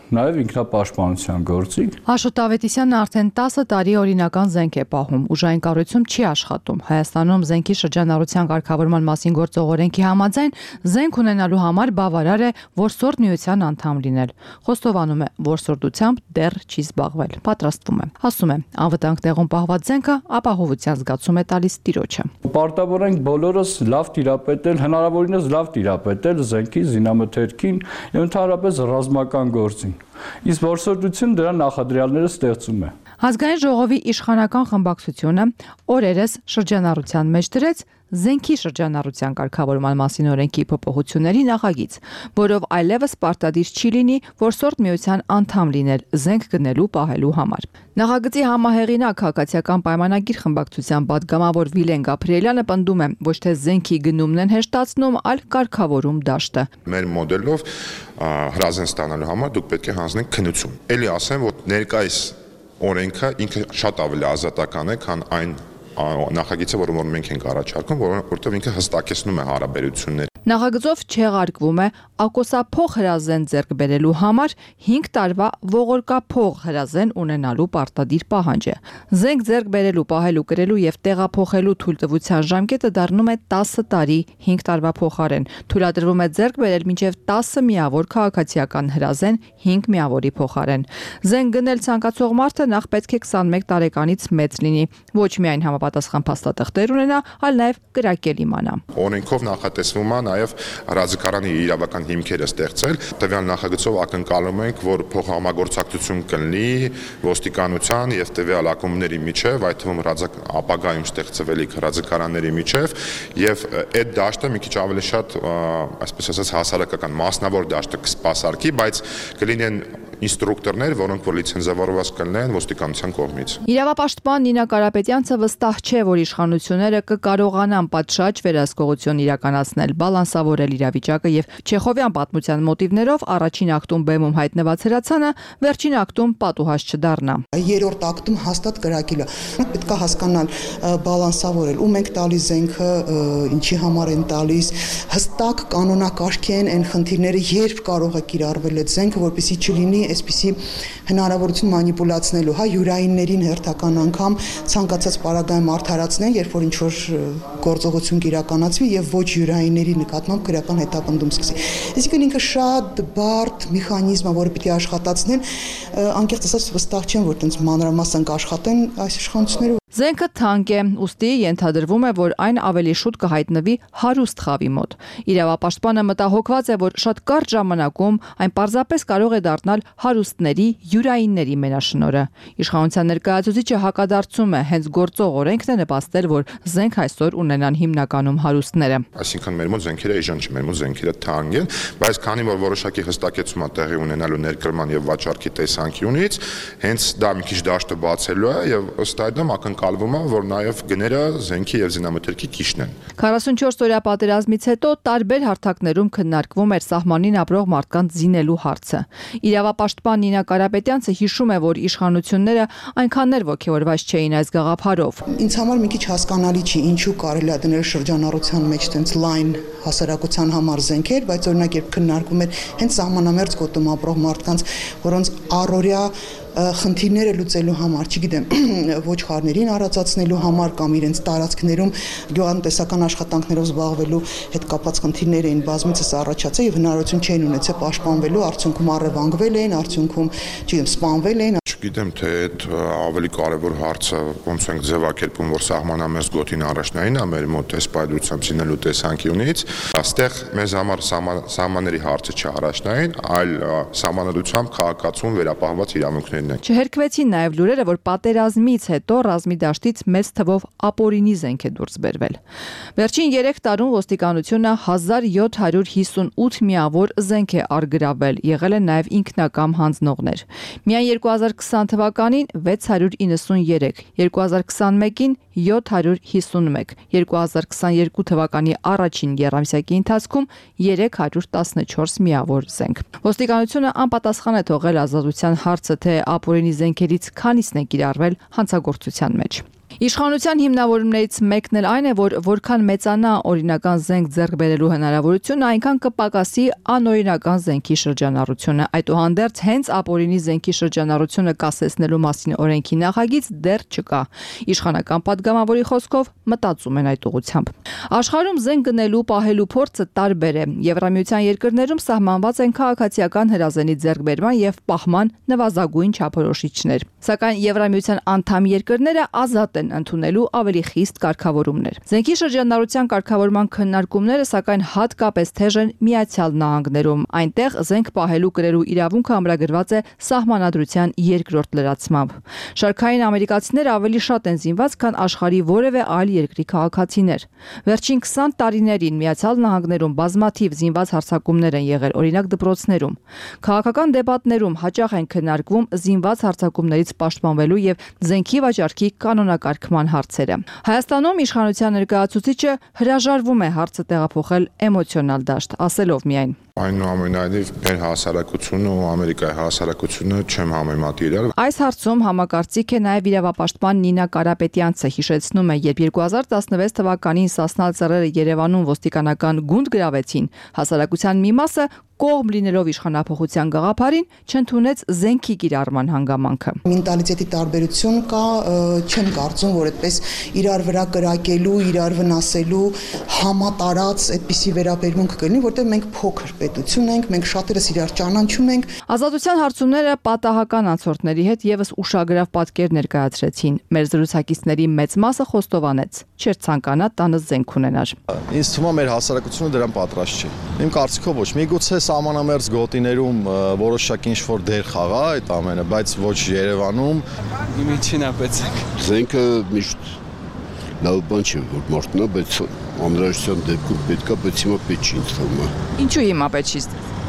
նաև ինքնապաշտպանության գործիք։ Աշոտ Ավետիսյանը արդեն տասը տարի օրինական զենք է պահում, ուժային կառույցում չի աշխատում։ Հայաստանում զենքի շրջանառության կարգավորման մասին գործող օրենքի համաձայն զենք ունենալու համար բավարար է որսորդ միության անդամ լինել։ Խոստովանում է, որսորդությամբ դեռ չի զբաղվել։ Պատրաստվում է։ Ասում է, անվտանգ տեղում պահված զենքը ապահովության զգացում է տալիս տիրոջը։ Պարտավոր ենք բոլորս լավ տիրապետել, հնարավորինս լավ տիրապետել զենքի զինամթերքին եւ ընդհանրապես ռազմական գործին։ Իսկ որսորդությունը դրա նախադրյալները ստեղծում է։ Ազգային ժողովի իշխանական խմբակցությունը օրերս շրջանառության մեջ դրեց զենքի շրջանառության կարգավորման մասին օրենքի փոփոխությունների նախագիծ, որով այլևս պարտադիր չի լինի որսորդ միության անդամ լինել զենք գնելու պահելու համար։ Նախագծի համահեղինակ Հակացիական պայմանագիր խմբակցության պատգամավոր Վիլեն Գաբրիելյանը պնդում է, ոչ թե զենքի գնումն են հեշտացնում, այլ կարգավորում դաշտը։ Մեր մոդելով հրազեն ստանալու համար դուք պետք է հանձնեք քննություն։ Էլի ասեմ, որ ներկայիս օրենքը ինքը շատ ավելի ազատական է, քան այն նախագիծը, որը որ մենք ենք առաջարկում, որովհետև ինքը հստակեցնում է հարաբերությունները։ Նախագծով չեղարկվում է ակոսափող հրազեն ձեռք բերելու համար հինգ տարվա ողորկափող հրազեն ունենալու պարտադիր պահանջը։ Զենք ձեռք բերելու, պահելու, կրելու եւ տեղափոխելու թույլտվության ժամկետը դառնում է տասը տարի հինգ տարվա փոխարեն։ Թույլատրվում է ձեռք բերել մինչեւ տասը միավոր քաղաքացիական հրազեն հինգ միավորի փոխարեն։ Զենք գնել ցանկացող մարդը նախ պետք է քսանմեկ տարեկանից մեծ լինի, ոչ միայն համապատասխան փաստաթղթեր ունենա, այլ նաեւ կրակել իմանա։ Օրենքով նախատեսվում է նաև ռազմակայանի իրավական հիմքերը ստեղծել։ Տվյալ նախագծով ակնկալում ենք, որ փոխհամագործակցություն կլինի ոստիկանության եւ տվյալ ակումբների միջև, այդ թվում ապագայում ստեղծվելիք ռազմակայանների միջև, եւ այդ դաշտը մի քիչ ավելի շատ, այսպես ասած, հասարակական մասնավոր դաշտը կսպասարկի, բայց կլինեն ինստրուկտորներ, որոնք որ լիցենզավորված կլինեն ոստիկանության կողմից։ Իրավապաշտպան Նինա Կարապետյանցը վստահ չէ, որ իշխանությունները կկարողանան պատշաճ վերահսկողություն իրականացնել, բալանսավորել իրավիճակը եւ Չեխովյան պատմության մոտիվներով առաջին ակտում բեմում հայտնված հրացանը վերջին ակտում պատուհաս չդառնա։ Երրորդ ակտում հաստատ կրակել է։ Պետք է հասկանալ, բալանսավորել, ում ենք տալիս զենքը, ինչի համար են տալիս, հստակ կանոնակարգ են այն խնդիրները, երբ կարող է կիրառվել այդ զենքը, որպեսզի չլինի այսպիսի հնարավորություն մանիպուլացնելու, հա, յուրայիններին հերթական անգամ ցանկացած պարագայում արդարացնեն, երբ որ ինչ-որ գործողություն կիրականացվի եւ ոչ յուրայինների նկատմամբ քրեական հետապնդում սկսի։ Այսինքն ինքը շատ բարդ մեխանիզմ է, որը պիտի աշխատացնեն, անկեղծ ասած վստահ չեմ, որ այդպես մանրամասն կաշխատեն այս իշխանությունները։ Զենքը թանկ է, ուստի ենթադրվում է, որ այն ավելի շուտ կհայտնվի հարուստ խավի մոտ։ Իրավապաշտպանը մտահոգված է, որ շատ կարճ ժամանակում այն պարզապես կարող է դառնալ հարուստների, յուրայինների մենաշնորհը։ Իշխանության ներկայացուցիչը հակադարձում է, հենց գործող օրենքն է նպաստել, որ զենք այսօր ունենան հիմնականում հարուստները։ Այսինքն մեր մոտ զենքերը էժան չէ, մեր մոտ զենքերը թանկ են, բայց քանի որ որոշակի հստակեցում է տեղի ունենալու ներկրման եւ վաճառքի տեսանկյունից, հենց դա մի քիչ դաշտը բացելու է եւ ըստ այդմ ակնկալվում է, որ նաեւ գները զենքի եւ զինամթերքի քիչն են։ քառասունչորս օրյա պատերազմից հետո տարբեր հարթակներում քննարկվում էր սահմանին ապրող մարդկանց զինելու հարցը։ Իրավապաշտպան Նինա Կարապետյանցը հիշում է, որ իշխանությունները այնքան էլ ոգևորված չէին այս գաղափարով։ Ինձ համար մի քիչ հասկանալի չի, ինչու կարելի է դնել շրջանառության մեջ տենց լայն հասարակության համար զենքեր, բայց օրինակ երբ քննարկում էր հենց սահմանամերձ գոտում ապրող մարդկանց, որոնց առօրյա խնդիրները լուծելու համար, չգիտեմ, ոչխարներին արածացնելու համար կամ իրենց տարածքներում գյուղատնտեսական աշխատանքներով զբաղվելու հետ կապված խնդիրներ էին բազմիցս առաջացել եւ հնարավորություն չէին ունեցել պաշտպանվելու, արդյունքում առևանգվել էին, արդյունքում, չգիտեմ, սպանվել էին։ չգիտեմ, թե այդ ավելի կարևոր հարցը ոնց ենք ձևակերպում, որ սահմանամերձ գոտին առաջնային է մեր մոտ այս պայծրությամբ սինելու տեսանկյունից, այստեղ մեզ համար սահմանների հարցը չէ առաջնային, այլ սահմանադրությամբ քաղաքացիություն վերապահված իրավունքներն են։ Չհերկվեցին նաև լուրերը, որ պատերազմից հետո ռազմի դաշտից մեծ թվով ապօրինի զենք է դուրս բերվել։ Վերջին երեք տարում ոստիկանությունը հազար յոթ հարյուր հիսունութ միավոր զենք է արգրավել, եղել են նաև ինքնակամ հանձնողներ։ Միայն երկու հազար քսան թվականին վեց հարյուր իննսուներեք, երկու հազար քսանմեկին յոթ հարյուր հիսունմեկ, երկու հազար քսաներկու թվականի առաջին եռամսյակի ընթացքում երեք հարյուր տասնչորս միավոր զենք։ Ոստիկանությունը անպատասխան է թողել ազատության հարցը, թե ապօրինի զենքերից քանիսն է կիրառվել հանցագործության մեջ։ Իշխանության հիմնավորումներից մեկն էլ այն է, որ որքան մեծանա օրինական զենք ձեռք բերելու հնարավորությունը, այնքան կպակասի անօրինական զենքի շրջանառությունը։ Այդուհանդերձ հենց ապօրինի զենքի շրջանառությունը կասեցնելու մասին օրենքի նախագիծ դեռ չկա։ Իշխանական падգամավորի խոսքով մտածում են այդ ուղղությամբ։ Աշխարհում զենք գնելու պահելու փորձը տարբեր է։ Եվրամիության երկրներում սահմանված են քաղաքացիական հրազենի ձեռքբերման եւ պահման նվազագույն չափորոշիչներ։ Սակայն Եվրամիության անդամ երկրները ազատ են ընդունելու ավելի խիստ կարգավորումներ։ Զենքի շրջանառության կարգավորման քննարկումները սակայն հատկապես թեժ են Միացյալ Նահանգներում։ Այնտեղ զենք պահելու կրելու իրավունքը ամրագրված է սահմանադրության երկրորդ լրացմամբ։ Շարքային ամերիկացիները ավելի շատ են զինված, քան աշխարհի որևէ այլ երկրի քաղաքացիներ։ Վերջին քսան տարիներին Միացյալ Նահանգներում բազմաթիվ զինված հարձակումներ են եղել, օրինակ դպրոցներում։ Քաղաքական դեպատներում հաճախ են քննարկվում զինված հարձակումներից պաշտպանվելու եւ զենքի վաճառքի կանոնակարգման հարցերը։ Հայաստանում իշխանության ներկայացուցիչը հրաժարվում է հարցը տեղափոխել էմոցիոնալ դաշտ, ասելով միայն. Այնուամենայնիվ մեր հասարակությունը ու Ամերիկայի հասարակությունը չեմ համեմատի իրար։ Այս հարցում համակարծիք է նաև իրավապաշտպան Նինա Կարապետյանցը, հիշեցնում է, երբ երկու հազար տասնվեց թվականին Սասնալ ծռերը Երևանում ոստիկանական գունդ գրավեցին, հասարակության մի մասը կողմ լինելով իշխանափոխության գաղափարին չընդունեց զենքի կիրառման հանգամանքը։ Մենտալիտետի տարբերություն կա, չեմ կարծում, որ այդպես իրար վրա կրակելու, իրար վնասելու համատարած այդպիսի վերաբերմունք կլինի, որտեղ մենք փոքր պետություն ենք, մենք շատերս իրար ճանաչում ենք։ Ազատության հարցումները պատահական անցորդների հետ եւս ուշագրավ պատկեր ներկայացրեցին։ Մեր զրուցակիցների մեծ մասը խոստովանեց, չէր ցանկանա տանը զենք ունենար։ Ինձ թվում է մեր հասարակությունը դրան պատրաստ չէ։ Իմ կարծիքով ոչ, միգուցե սահմանամերձ գոտիներում որոշակի ինչ-որ դեր խաղա այդ ամենը, բայց ոչ Երևանում։ Իմիջին ապեցեք։ Զենքը միշտ լավ բան չէ, որ մարդն է, բայց անհրաժեշտության դեպքում պետքա, բայց հիմա պետք չի ինձ թվում է։ Ինչու հիմա պետք չի։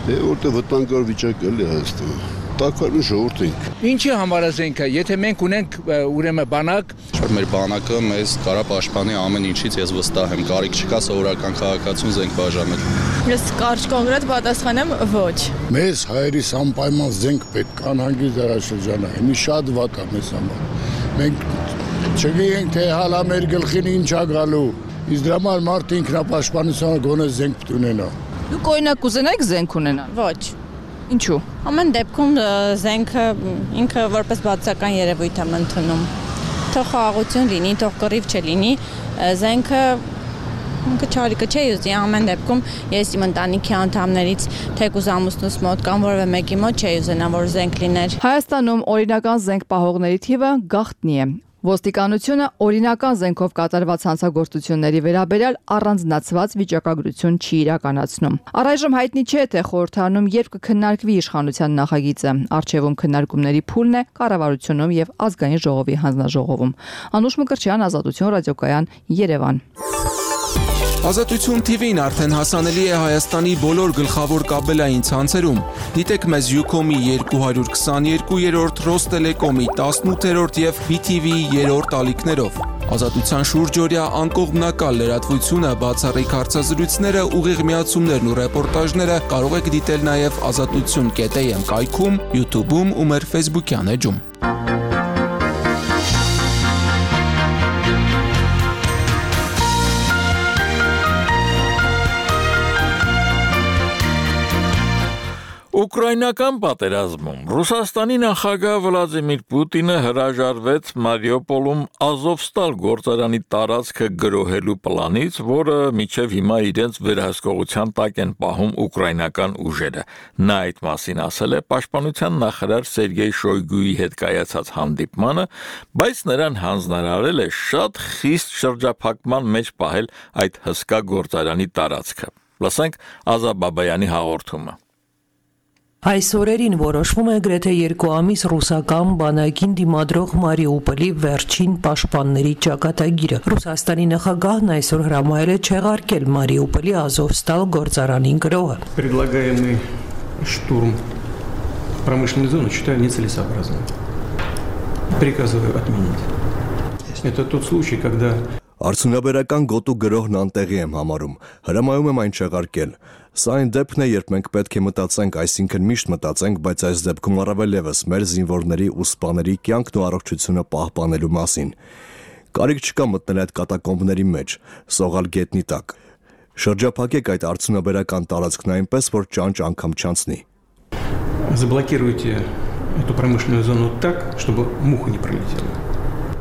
Դե որտեղ վտանգավոր վիճակ է Հայաստանում։ Տակարուն ժողովուրդ ենք։ Ինչի համար է զենքը, եթե մենք ունենք ուրեմն բանակ, մեր բանակը մեզ կարա պաշտպանի ամեն ինչից, ես վստահ եմ, կարիք չկա սովորական քաղաքացուն զենք բաժանել։ Ես կարճ կոնկրետ պատասխանեմ ոչ։ Մեզ հայերիս անպայման զենք պետք է անհանգի դարաշրջանը, մի շատ վատ է մեզ համար։ Մենք չգիտենք, թե հալա մեր գլխին ինչ է գալու, իսկ դրա համար մարդը ինքնապաշտպանության գոնե զենք պետք ունենա։ Դուք օրինակ կուզենայիք զենք ունենալ։ Ոչ։ Ինչու։ Ամեն դեպքում զենքը ինքը որպես բացական երևույթ եմ ընդունում։ Թող խաղաղություն լինի, թող կռիվ չլինի, զենքը ինքը չարիքը չէ ուզի, ամեն դեպքում ես իմ ընտանիքի անդամներից թեկուզ ամուսնուս մոտ կամ որևէ մեկի մոտ չէի ուզենա, որ զենք լիներ։ Հայաստանում օրինական զենք պահողների թիվը գաղտնի է։ Ոստիկանությունը օրինական զենքով կատարված հանցագործությունների վերաբերյալ առանձնացված վիճակագրություն չի իրականացնում։ Առայժմ հայտնի չէ, թե խորհրդարանում երբ կքննարկվի իշխանության նախագիծը։ Արչևում քննարկումների փուլն է կառավարությունում եւ ազգային ժողովի հանձնաժողովում։ Անուշ Մկրտչյան, Ազատություն ռադիոկայան, Երևան։ Ազատություն թի վին արդեն հասանելի է Հայաստանի բոլոր գլխավոր կաբելային ցանցերում։ Դիտեք մեզ Յուքոմի երկու հարյուր քսաներկուերորդ, Ռոստելեկոմի տասնութերորդ եւ բի թի վի երրորդ ալիքներով։ Ազատության շուրջօրյա անկողմնակալ լրատվությունը, բացառիկ հարցազրույցները, ուղիղ միացումներն ու ռեպորտաժները կարող եք դիտել նաեւ ազատություն կետ էյ էմ կայքում, YouTube-ում ու մեր Facebook-յան էջում։ Ուկրաինական պատերազմում Ռուսաստանի նախագահ Վլադիմիր Պուտինը հրաժարվեց Մարիուպոլում Ազովստալ գործարանի տարածքը գրոհելու պլանից, որը մինչև հիմա իրենց վերահսկողության տակ են պահում ուկրաինական ուժերը։ Նա այդ մասին ասել է պաշտպանության նախարար Սերգեյ Շոյգուի հետ կայացած հանդիպմանը, բայց նրան հանձնարարել է շատ խիստ շրջափակման մեջ պահել այդ հսկա գործարանի տարածքը։ Լսենք Ազա Բաբայանի հաղորդումը։ Այս օրերին որոշվում է գրեթե երկու ամիս ռուսական բանակին դիմադրող Մարիուպոլի վերջին պաշտպանների ճակատագիրը։ Ռուսաստանի նախագահն այսօր հրամայել է չեղարկել Մարիուպոլի Ազովստալ գործարանի գրոհը։ Предлагаемый штурм промышленной зоны считаю нецелесообразным. Приказываю отменить. Это тот случай, когда Արդյունաբերական գոտու գրոհն անտեղի եմ համարում, հրամայում եմ այն չեղարկել։ Սա այն դեպքն է, երբ մենք պետք է մտածենք, այսինքն միշտ մտածենք, բայց այս դեպքում առավել ևս մեր զինվորների ու սպաների կյանքն ու առողջությունը պահպանելու մասին։ Կարիք չկա մտնել այդ կատակոմբների մեջ, սողալ գետնի տակ։ Շրջափակեք այդ արդյունաբերական տարածքն այնպես, որ ճանճ անգամ չանցնի։ Заблокируйте эту промышленную зону так, чтобы муха не пролетела.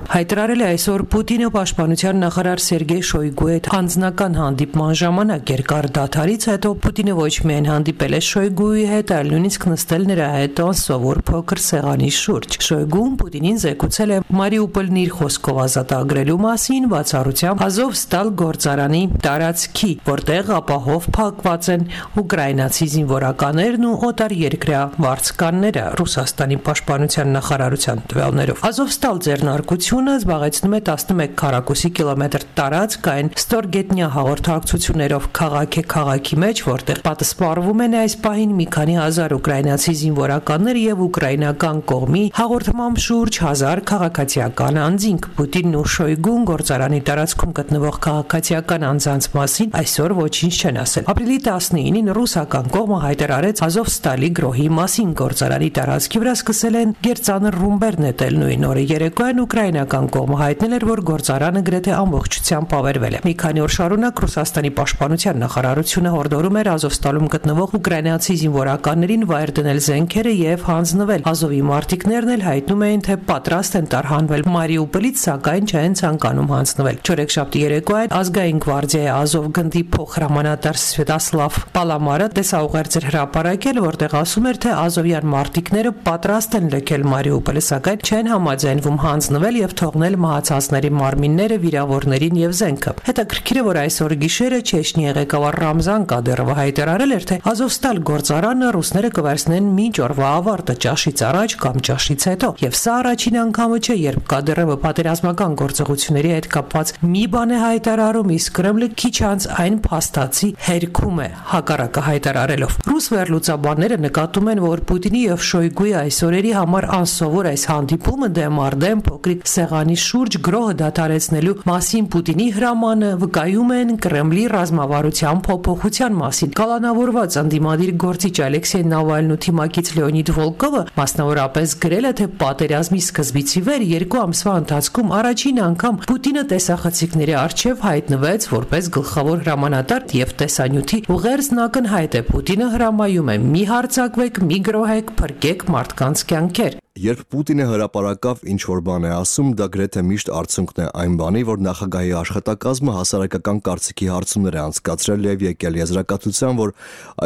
Հայտարարել է այսօր Պուտինը պաշտպանության նախարար Սերգեյ Շոյգուի հետ անձնական հանդիպման ժամանակ երկար դադարից հետո Պուտինը ոչ միայն հանդիպել է Շոյգուի հետ, այլ նույնիսկ նստել նրա հետ անսովոր փոքր սեղանի շուրջ։ Շոյգուն Պուտինին զեկուցել է Մարիուպոլն իր խոսքով ազատագրելու մասին, բացառությամբ Ազովստալ գործարանի տարածքի, որտեղ ապահով փակված են ուկրաինացի զինվորականներն ու օտարերկրյա վարձկանները, Ռուսաստանի պաշտպանության նախարարության տվյալներով։ Ազովստալ ձեռնարկություն զբաղեցնում է տասնմեկ քառակուսի կիլոմետր տարածք այն ստորգետնյա հաղորդակցություններով քաղաք է քաղաքի մեջ, որտեղ պատասպարվում են այս պահին մի քանի հազար ուկրաինացի զինվորականներ եւ ուկրաինական կողմի հաղորդմամբ շուրջ հազար քաղաքացիական անձինք։ Պուտինն ու Շոյգուն գործարանի տարածքում գտնվող քաղաքացիական անձանց մասին այսօր ոչինչ չեն ասել։ Ապրիլի տասնինին ռուսական կողմը հայտարարեց Ազովստալի գրոհի մասին։ Գործարանի տարածքի վրա սկսել են գերծանր ռումբեր նետել նույն օրը երեկոյան ուկրաինական կողմը հայտնել էր, որ գործարանը գրեթե ամբողջությամբ ավերվել է։ Մի քանի օր շարունակ Ռուսաստանի պաշտպանության նախարարությունը հորդորում էր Ազովստալում գտնվող ուկրաինացի զինվորականներին վայր դնել զենքերը եւ հանձնվել։ Ազովի մարտիկներն էլ հայտնում էին, թե պատրաստ են տարհանվել Մարիուպոլից, սակայն չեն ցանկանում հանձնվել։ Չորեքշաբթի երեկոյան ազգային գվարդիայի Ազով գնդի փոխհրամանատար Սվետասլավ Պալամարը տեսաուղերձ էր հրապարակել, որտեղ ասում էր, թե ազովյան մարտիկները պատրաստ են լքել Մարիուպոլը, սակայն չեն համաձայնվում հանձնվել եւ թողնել մահացածների մարմինները, վիրավորներին եւ զենքը։ Հետաքրքիր է, որ այսօր գիշերը Չեչնիայի ղեկավար Ռամզան Կադիրովը հայտարարել էր, թե Ազովստալ գործարանը ռուսները կվերցնեն մինչ օրվա ավարտը, ճաշից առաջ կամ ճաշից հետո։ Եվ սա առաջին անգամը չէ, երբ Կադիրովը պատերազմական գործողությունների հետ կապված մի բան է հայտարարում, իսկ Կրեմլը քիչ անց այն փաստացի հերքում է հակառակը հայտարարելով։ Ռուս վերլուծաբանները նկատում են, որ Պուտինի եւ Շոյգուի այսօրերի համար անսովոր այս հանդիպումը դեմ առ դեմ փոքրիկ սեղանի շուրջ գրոհը դադարեցնելու մասին Պուտինի հրամանը վկայում են Կրեմլի ռազմավարության փոփոխության մասին։ Կալանավորված ընդդիմադիր գործիչ Ալեքսեյ Նավալնին ու թիմակից Լեոնիդ Վոլկովը մասնավորապես գրել է, թե պատերազմի սկզբից ի վեր երկու ամսվա ընթացքում առաջին անգամ Պուտինը տեսախցիկների առջև հայտնվեց որպես գլխավոր հրամանատար եւ տեսանյութի ուղերձն ակնհայտ է։ Պուտինը հրամայում է՝ մի հարձակվեք, մի գրոհեք, փրկեք մարդկանց կյանքեր։ Երբ Պուտինը հրապարակավ ինչ-որ բան է ասում, դա գրեթե միշտ արդյունքն է այն բանի, որ նախագահի աշխատակազմը հասարակական կարծիքի հարցումներ է անցկացրել եւ եկել եզրակացության, որ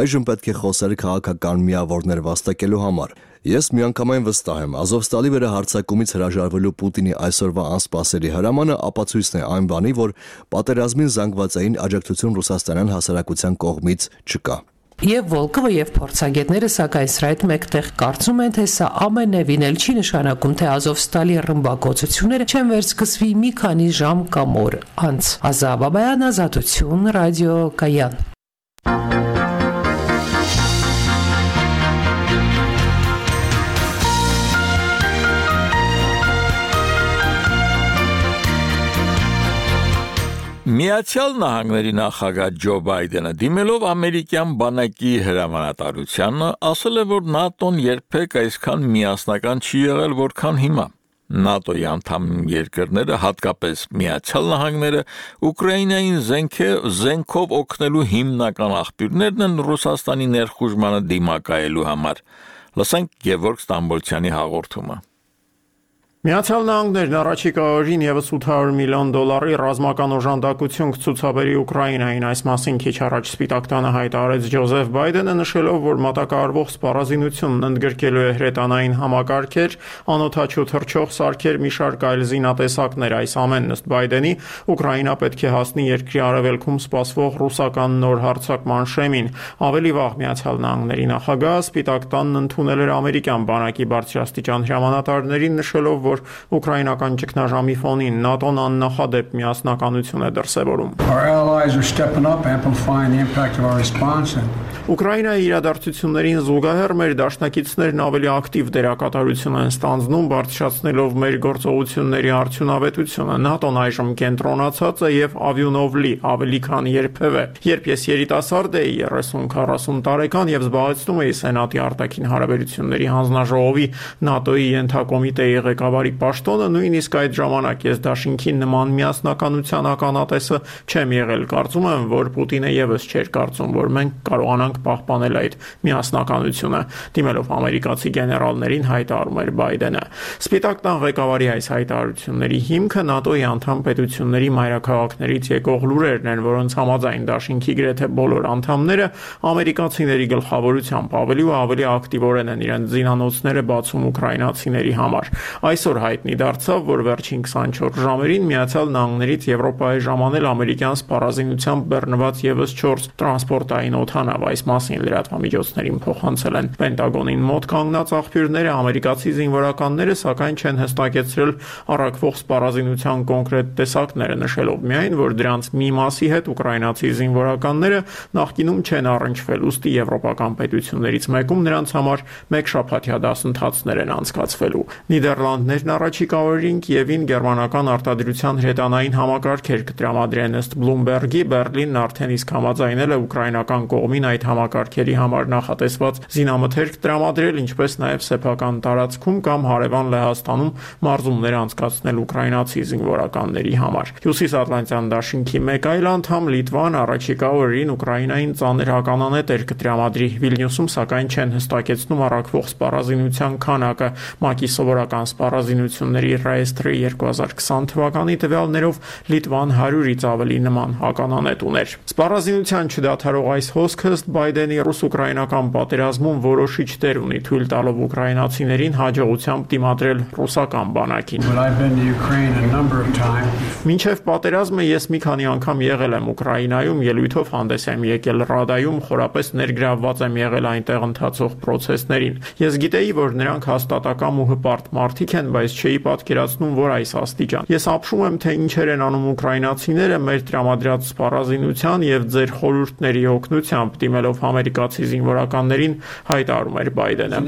այժմ պետք է խոսել քաղաքական միավորներ վաստակելու համար։ Ես միանգամայն վստահ եմ, Ազովստալի վերահարձակումից հրաժարվելու Պուտինի այսօրվա անսպասելի հրամանը ապացույցն է այն բանի, որ պատերազմին զանգվածային աջակցություն ռուսաստանյան հասարակության կողմից չկա։ Եվ Վոլկովը եւ փորձագետները սակայն սրա հետ մեկտեղ կարծում են, թե սա ամենևին էլ չի նշանակում, թե Ազովստալի ռմբակոծությունները չեն վերսկսվի մի քանի ժամ կամ օր անց։ Ազա Բաբայան, Ազատություն, Ռադիո Կայան։ Միացյալ Նահանգների նախագահ Ջո Բայդենը դիմելով ամերիկյան բանակի հրամանատարությանը ասել է, որ ՆԱՏՕ-ն երբեք այսքան միասնական չի եղել, որքան հիմա։ ՆԱՏՕ-ի անդամ երկրները, հատկապես Միացյալ Նահանգները, Ուկրաինային զենքով օգնելու հիմնական աղբյուրներն են Ռուսաստանի ներխուժմանը դիմակայելու համար։ Լսենք Գևորգ Ստամբոլցյանի հաղորդումը։ Միացյալ Նահանգներն առաջիկա օրերին ևս ութ հարյուր միլիոն դոլարի ռազմական օժանդակություն կցուցաբերի Ուկրաինային, այս մասին քիչ առաջ Սպիտակ տանը հայտարարեց Ջոզեֆ Բայդենը, նշելով, որ մատակարարվող սպառազինությունն ընդգրկելու է հրետանային համակարգեր, անօդաչու թռչող սարքեր, մի շարք այլ զինատեսակներ։ Այս ամենն ըստ Բայդենի Ուկրաինա պետք է հասնի երկրի արևելքում սպասվող ռուսական նոր հարձակման շեմին։ Ավելի վաղ Միացյալ Նահանգների նախագահ Սպիտակ տանն ընդունել էր ամերիկյան բանակի բարձրաստիճան հրամանատարներին, նշելով, որ ուկրաինական ճգնաժամի ֆոնին ՆԱՏՕ-ն աննախադեպ միասնականություն է դրսևորում։ Ուկրաինայի իրադարձություններին զուգահեռ մեր դաշնակիցներն ավելի ակտիվ դերակատարություն են ստանձնում, բարձրացնելով մեր գործողությունների արդյունավետությունը։ ՆԱՏՕ-ն այժմ կենտրոնացած է եւ ավյունով լի, ավելի քան երբևէ։ Երբ ես երիտասարդ էի, երեսուն քառասուն տարեկան եւ զբաղեցնում էի Սենատի արտաքին հարաբերությունների հանձնաժողովի ՆԱՏՕ-ի ենթակոմիտեի ղեկավարի պաշտոնը, նույնիսկ այդ ժամանակ ես դաշինքի նման միասնականության ականատեսը չեմ եղել։ Կարծում եմ, որ Պուտինը եւս չէր կարծում, որ մենք կարողանանք պահպանել այդ միասնականությունը, դիմելով ամերիկացի գեներալներին հայտարարում էր Բայդենը։ Սպիտակ տան ղեկավարի այս հայտարարությունների հիմքը ՆԱՏՕ-ի անդամ պետությունների մայրաքաղաքներից եկող լուրերն են, որոնց համաձայն դաշինքի գրեթե բոլոր անդամները ամերիկացիների գլխավորությամբ ավելի ու ավելի ակտիվորեն են իրենց զինանոցները բացում ուկրաինացիների համար։ Այսօր հայտնի դարձավ, որ վերջին քսանչորս ժամերին Միացյալ Նահանգներից Եվրոպայի ժամանել ամերիկյան սպառազինությամբ բեռնված եւս չորս տրանսպորտային օդանավ։ Այս մասին լրատվամիջոցներին փոխանցել են Պենտագոնին մոտ կանգնած աղբյուրները, ամերիկացի զինվորականները սակայն չեն հստակեցրել առաքվող սպառազինության կոնկրետ տեսակները, նշելով միայն, որ դրանց մի մասի հետ ուկրաինացի զինվորականները նախկինում չեն առնչվել, ուստի եվրոպական պետություններից մեկում նրանց համար մեկ շաբաթյա դասընթացներ են անցկացվելու։ Նիդերլանդներն առաջիկա օրերին Կիևին գերմանական արտադրության հրետանային համակարգեր կտրամադրեն, ըստ Բլումբերգի Բերլինն արդեն իսկ համաձայնել է ուկրաինական կողմին այդ համակարգերի համար նախատեսված զինամթերք տրամադրել, ինչպես նաև սեփական տարածքում կամ հարևան Լեհաստանում մարզումներ անցկացնել ուկրաինացի զինվորականների համար։ Հյուսիսատլանտյան դաշինքի մեկ այլ անդամ Լիտվան առաջիկա օրերին Ուկրաինային ծանր հականանետեր կտրամադրի։ Վիլնյուսում սակայն չեն հստակեցնում առաքվող սպառազինության քանակը։ ՄԱԿ-ի սովորական սպառազինությունների ռեեստրի երկու հազար քսան թվականի տվյալներով Լիտվան հարյուրից ավելի նման հականանետ ուներ։ Սպառազինության չդադարող այս հոսքը ըստ Բայդենի ռուս-ուկրաինական պատերազմում որոշիչ դեր ունի, թույլ տալով ուկրաինացիներին հաջողությամբ դիմադրել ռուսական բանակին։ Մինչև պատերազմը ես մի քանի անգամ եղել եմ Ուկրաինայում, ելույթով հանդես եմ եկել Ռադայում, խորապես ներգրավված եմ եղել այնտեղ ընթացող պրոցեսներին։ Ես գիտեի, որ նրանք հաստատակամ ու հպարտ մարդիկ են, բայց չէի պատկերացնում, որ այս աստիճան։ Ես ապշում եմ, թե ինչեր են անում ուկրաինացիները մեր տրամադրած սպառազինության եւ ձեր խորհուրդների օգնությամբ, դիմելով ամերիկացի զինվորականներին, հայտարարում էր Բայդենը։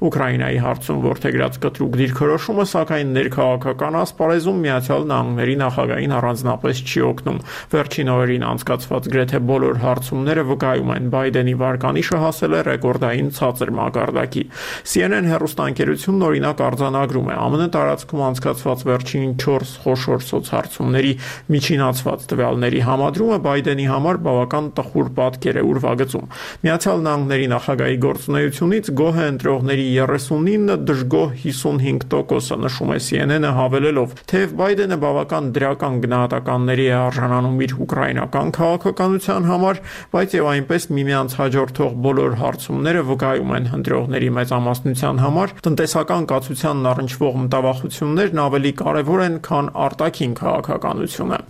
Ուկրաինայի հարցում որդեգրած կտրուկ դիրքորոշումը, սակայն ներքաղաքական ասպարեզում Միացյալ Նահանգների նախագահին առանձնապես չի օգնում։ Վերջին օրերին անցկացված գրեթե բոլոր հարցումները վկայում են, Բայդենի վարկանիշը հասել է ռեկորդային ցածր մակարդակի։ C N N հեռուստաընկերությունն օրինակ արձանագրում է ԱՄՆ տարածքում անցկացված վերջին չորս խոշոր սոցհարցումների միջինացված տվյալների համադրումը Բայդենի համար բավական տխուր պատկեր է ուրվագծում։ Միացյալ Նահանգների նախագահի գործունեությունից գոհ է ընտրողների երեսունինը, դժգոհ հիսունհինգ տոկոսը, նշում է C N N-ը հավելելով, թեև Բայդենը բավական դրական գնահատականների է արժանանում իր ուկրաինական քաղաքականության համար, բայց եւ այնպես միմյանց հաջորդող բոլոր հարցումները վկայում են ընտրողների մեծամասնության համար տնտեսական կացությանն առնչվող մտավախություններն ավելի կարևոր են, քան արտաքին քաղաքականությունը։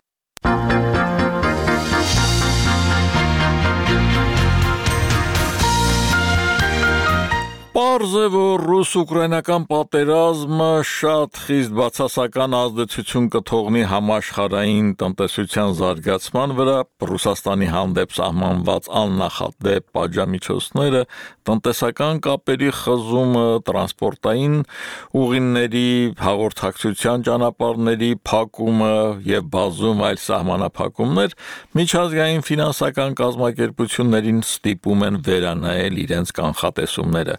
Պարզ է, որ ռուս-ուկրաինական պատերազմը շատ խիստ բացասական ազդեցություն կթողնի համաշխարհային տնտեսության զարգացման վրա, Ռուսաստանի հանդեպ սահմանված աննախադեպ պատժամիջոցները, տնտեսական կապերի խզումը, տրանսպորտային ուղիների, հաղորդակցության ճանապարհների փակումը եւ բազում այլ սահմանափակումներ միջազգային ֆինանսական կազմակերպություններին ստիպում են վերանայել իրենց կանխատեսումները։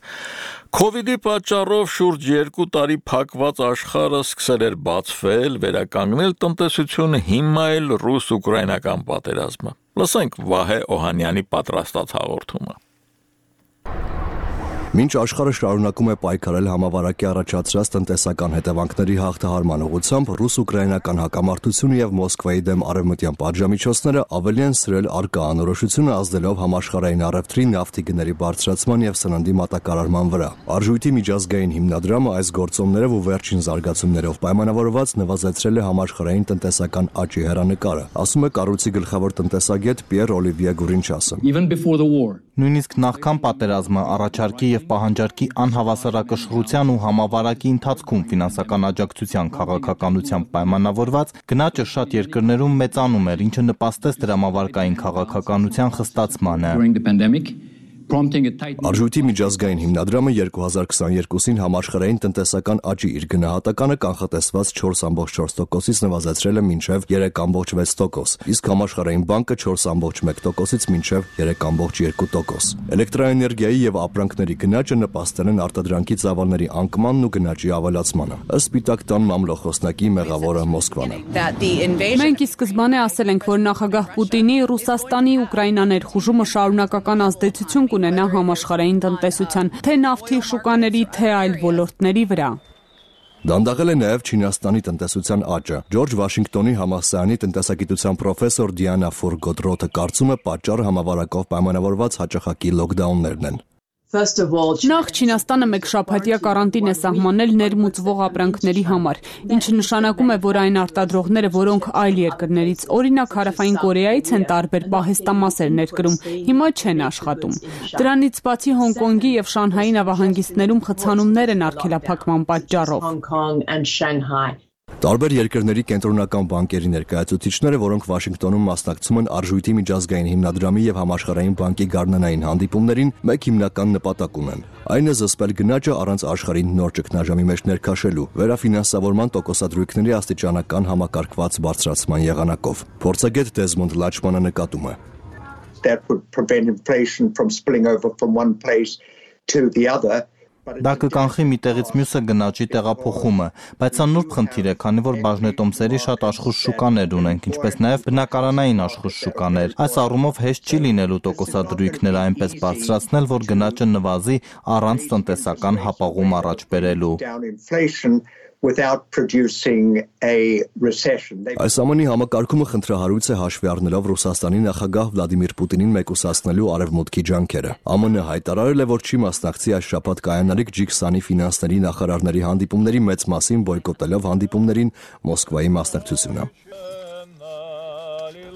Քովիդի պատճառով շուրջ երկու տարի փակված աշխարհը սկսել էր բացվել, վերականգնել տնտեսությունը, հիմա էլ ռուս-ուկրաինական պատերազմը։ Լսենք Վահե Օհանյանի պատրաստած հաղորդումը։ Մինչ աշխարհը շարունակում է պայքարել համավարակի առաջացրած տնտեսական հետևանքների հաղթահարման ուղղությամբ, ռուս-ուկրաինական հակամարտությունը եւ Մոսկվայի դեմ արևմտյան պատժամիջոցները ավելի են սրել առկա անորոշությունը, ազդելով համաշխարհային առևտրի, նավթի գների բարձրացման եւ սննդի մատակարարման վրա։ Արժույթի միջազգային հիմնադրամը այս գործոններով ու վերջին զարգացումներով պայմանավորված նվազեցրել է համաշխարհային տնտեսական աճի հեռանկարը, ասում է կառույցի գլխավոր տնտեսագետ Պիեր Օլիվիե Գուրինչասը։ Նույնիսկ նախքան պատերազմը առաջարկի եւ պահանջարկի անհավասարակշռության ու համավարակի ընթացքում ֆինանսական աջակցության քաղաքականությամբ պայմանավորված գնաճը շատ երկրներում մեծանում էր, ինչը նպաստեց դրամավարկային քաղաքականության խստացմանը։ Արժույթի միջազգային հիմնադրամը երկու հազար քսաներկուսին համաշխարհային տնտեսական աճի իր գնահատականը կանխատեսված չորս կόμma չորս տոկոսից նվազեցրել է մինչև երեք կόμma վեց տոկոս, իսկ համաշխարհային բանկը չորս կόμma մեկ տոկոսից մինչև երեք կόμma երկու տոկոս։ Էլեկտրաէներգիայի եւ ապրանքների գնաճը նպաստել են արտադրանքի ծավալների անկմանն ու գնաճի ավելացմանը, ըստ Սպիտակ տան մամլոխոսնակի մեղավորը Մոսկվան է։ Մենք ի սկզբանե ասել ենք, որ նախագահ Պուտինի Ռուսաստանի Ուկրաինա ներխուժումը շարունակական ազդեցություն կունենա համաշխարհային տնտեսության, թե նավթի շուկաների, թե այլ ոլորտների վրա։ Դանդաղել է նաև Չինաստանի տնտեսության աճը։ Ջորջ Վաշինգտոնի համալսարանի տնտեսագիտության պրոֆեսոր Դիանա Ֆորգոդրոթը կարծում է պատճառը համավարակով պայմանավորված հաճախակի լոկդաուններն են։ Նախ Չինաստանը մեկ շաբաթյա կարանտին է սահմանել ներմուծվող ապրանքների համար, ինչը նշանակում է, որ այն արտադրողները, որոնք այլ երկրներից, օրինակ Հարավային Կորեայից են տարբեր պահեստամասեր ներկրում, հիմա չեն աշխատում։ Դրանից բացի Հոնկոնգի եւ Շանհայի նավահանգիստներում խցանումներ են արգելափակման պատճառով։ Տարբեր երկրների կենտրոնական բանկերի ներկայացուցիչները, որոնք Վաշինգտոնում մասնակցում են Արժույթի միջազգային հիմնադրամի եւ Համաշխարհային բանկի գարնանային հանդիպումներին, մեկ հիմնական նպատակ ունեն։ Այն է զսպել գնաճը առանց աշխարհին նոր ճգնաժամի մեջ ներքաշելու, վերաֆինանսավորման տոկոսադրույքների աստիճանական համակարգված բարձրացման եղանակով։ Փորձագետ Դեզմոնդ Լաչմանը նկատում է. That would prevent inflation from spilling over from one place to the other. Դա կկանխի մի տեղից մյուսը գնաճի տեղափոխումը, բայց սա նուրբ խնդիր է, քանի որ բաժնետոմսերի շատ աշխույժ շուկաներ ունենք, ինչպես նաև բնակարանային աշխույժ շուկաներ։ Այս առումով հեշտ չի լինելու տոկոսադրույքները այնպես բարձրացնել, որ գնաճը նվազի առանց տնտեսական հապաղում առաջ բերելու։ Without producing a recession. Այս ամենի համակարգումը խնդրահարույց է հաշվի առնելով Ռուսաստանի նախագահ Վլադիմիր Պուտինին մեկուսացնելու արևմուտքի ջանքերը։ ԱՄՆ-ը հայտարարել է, որ չի մասնակցի այս շաբաթ կայանալիք ջի քսանի ֆինանսների նախարարների հանդիպումների մեծ մասին բոյկոտելով հանդիպումներին Մոսկվայի մասնակցությունը։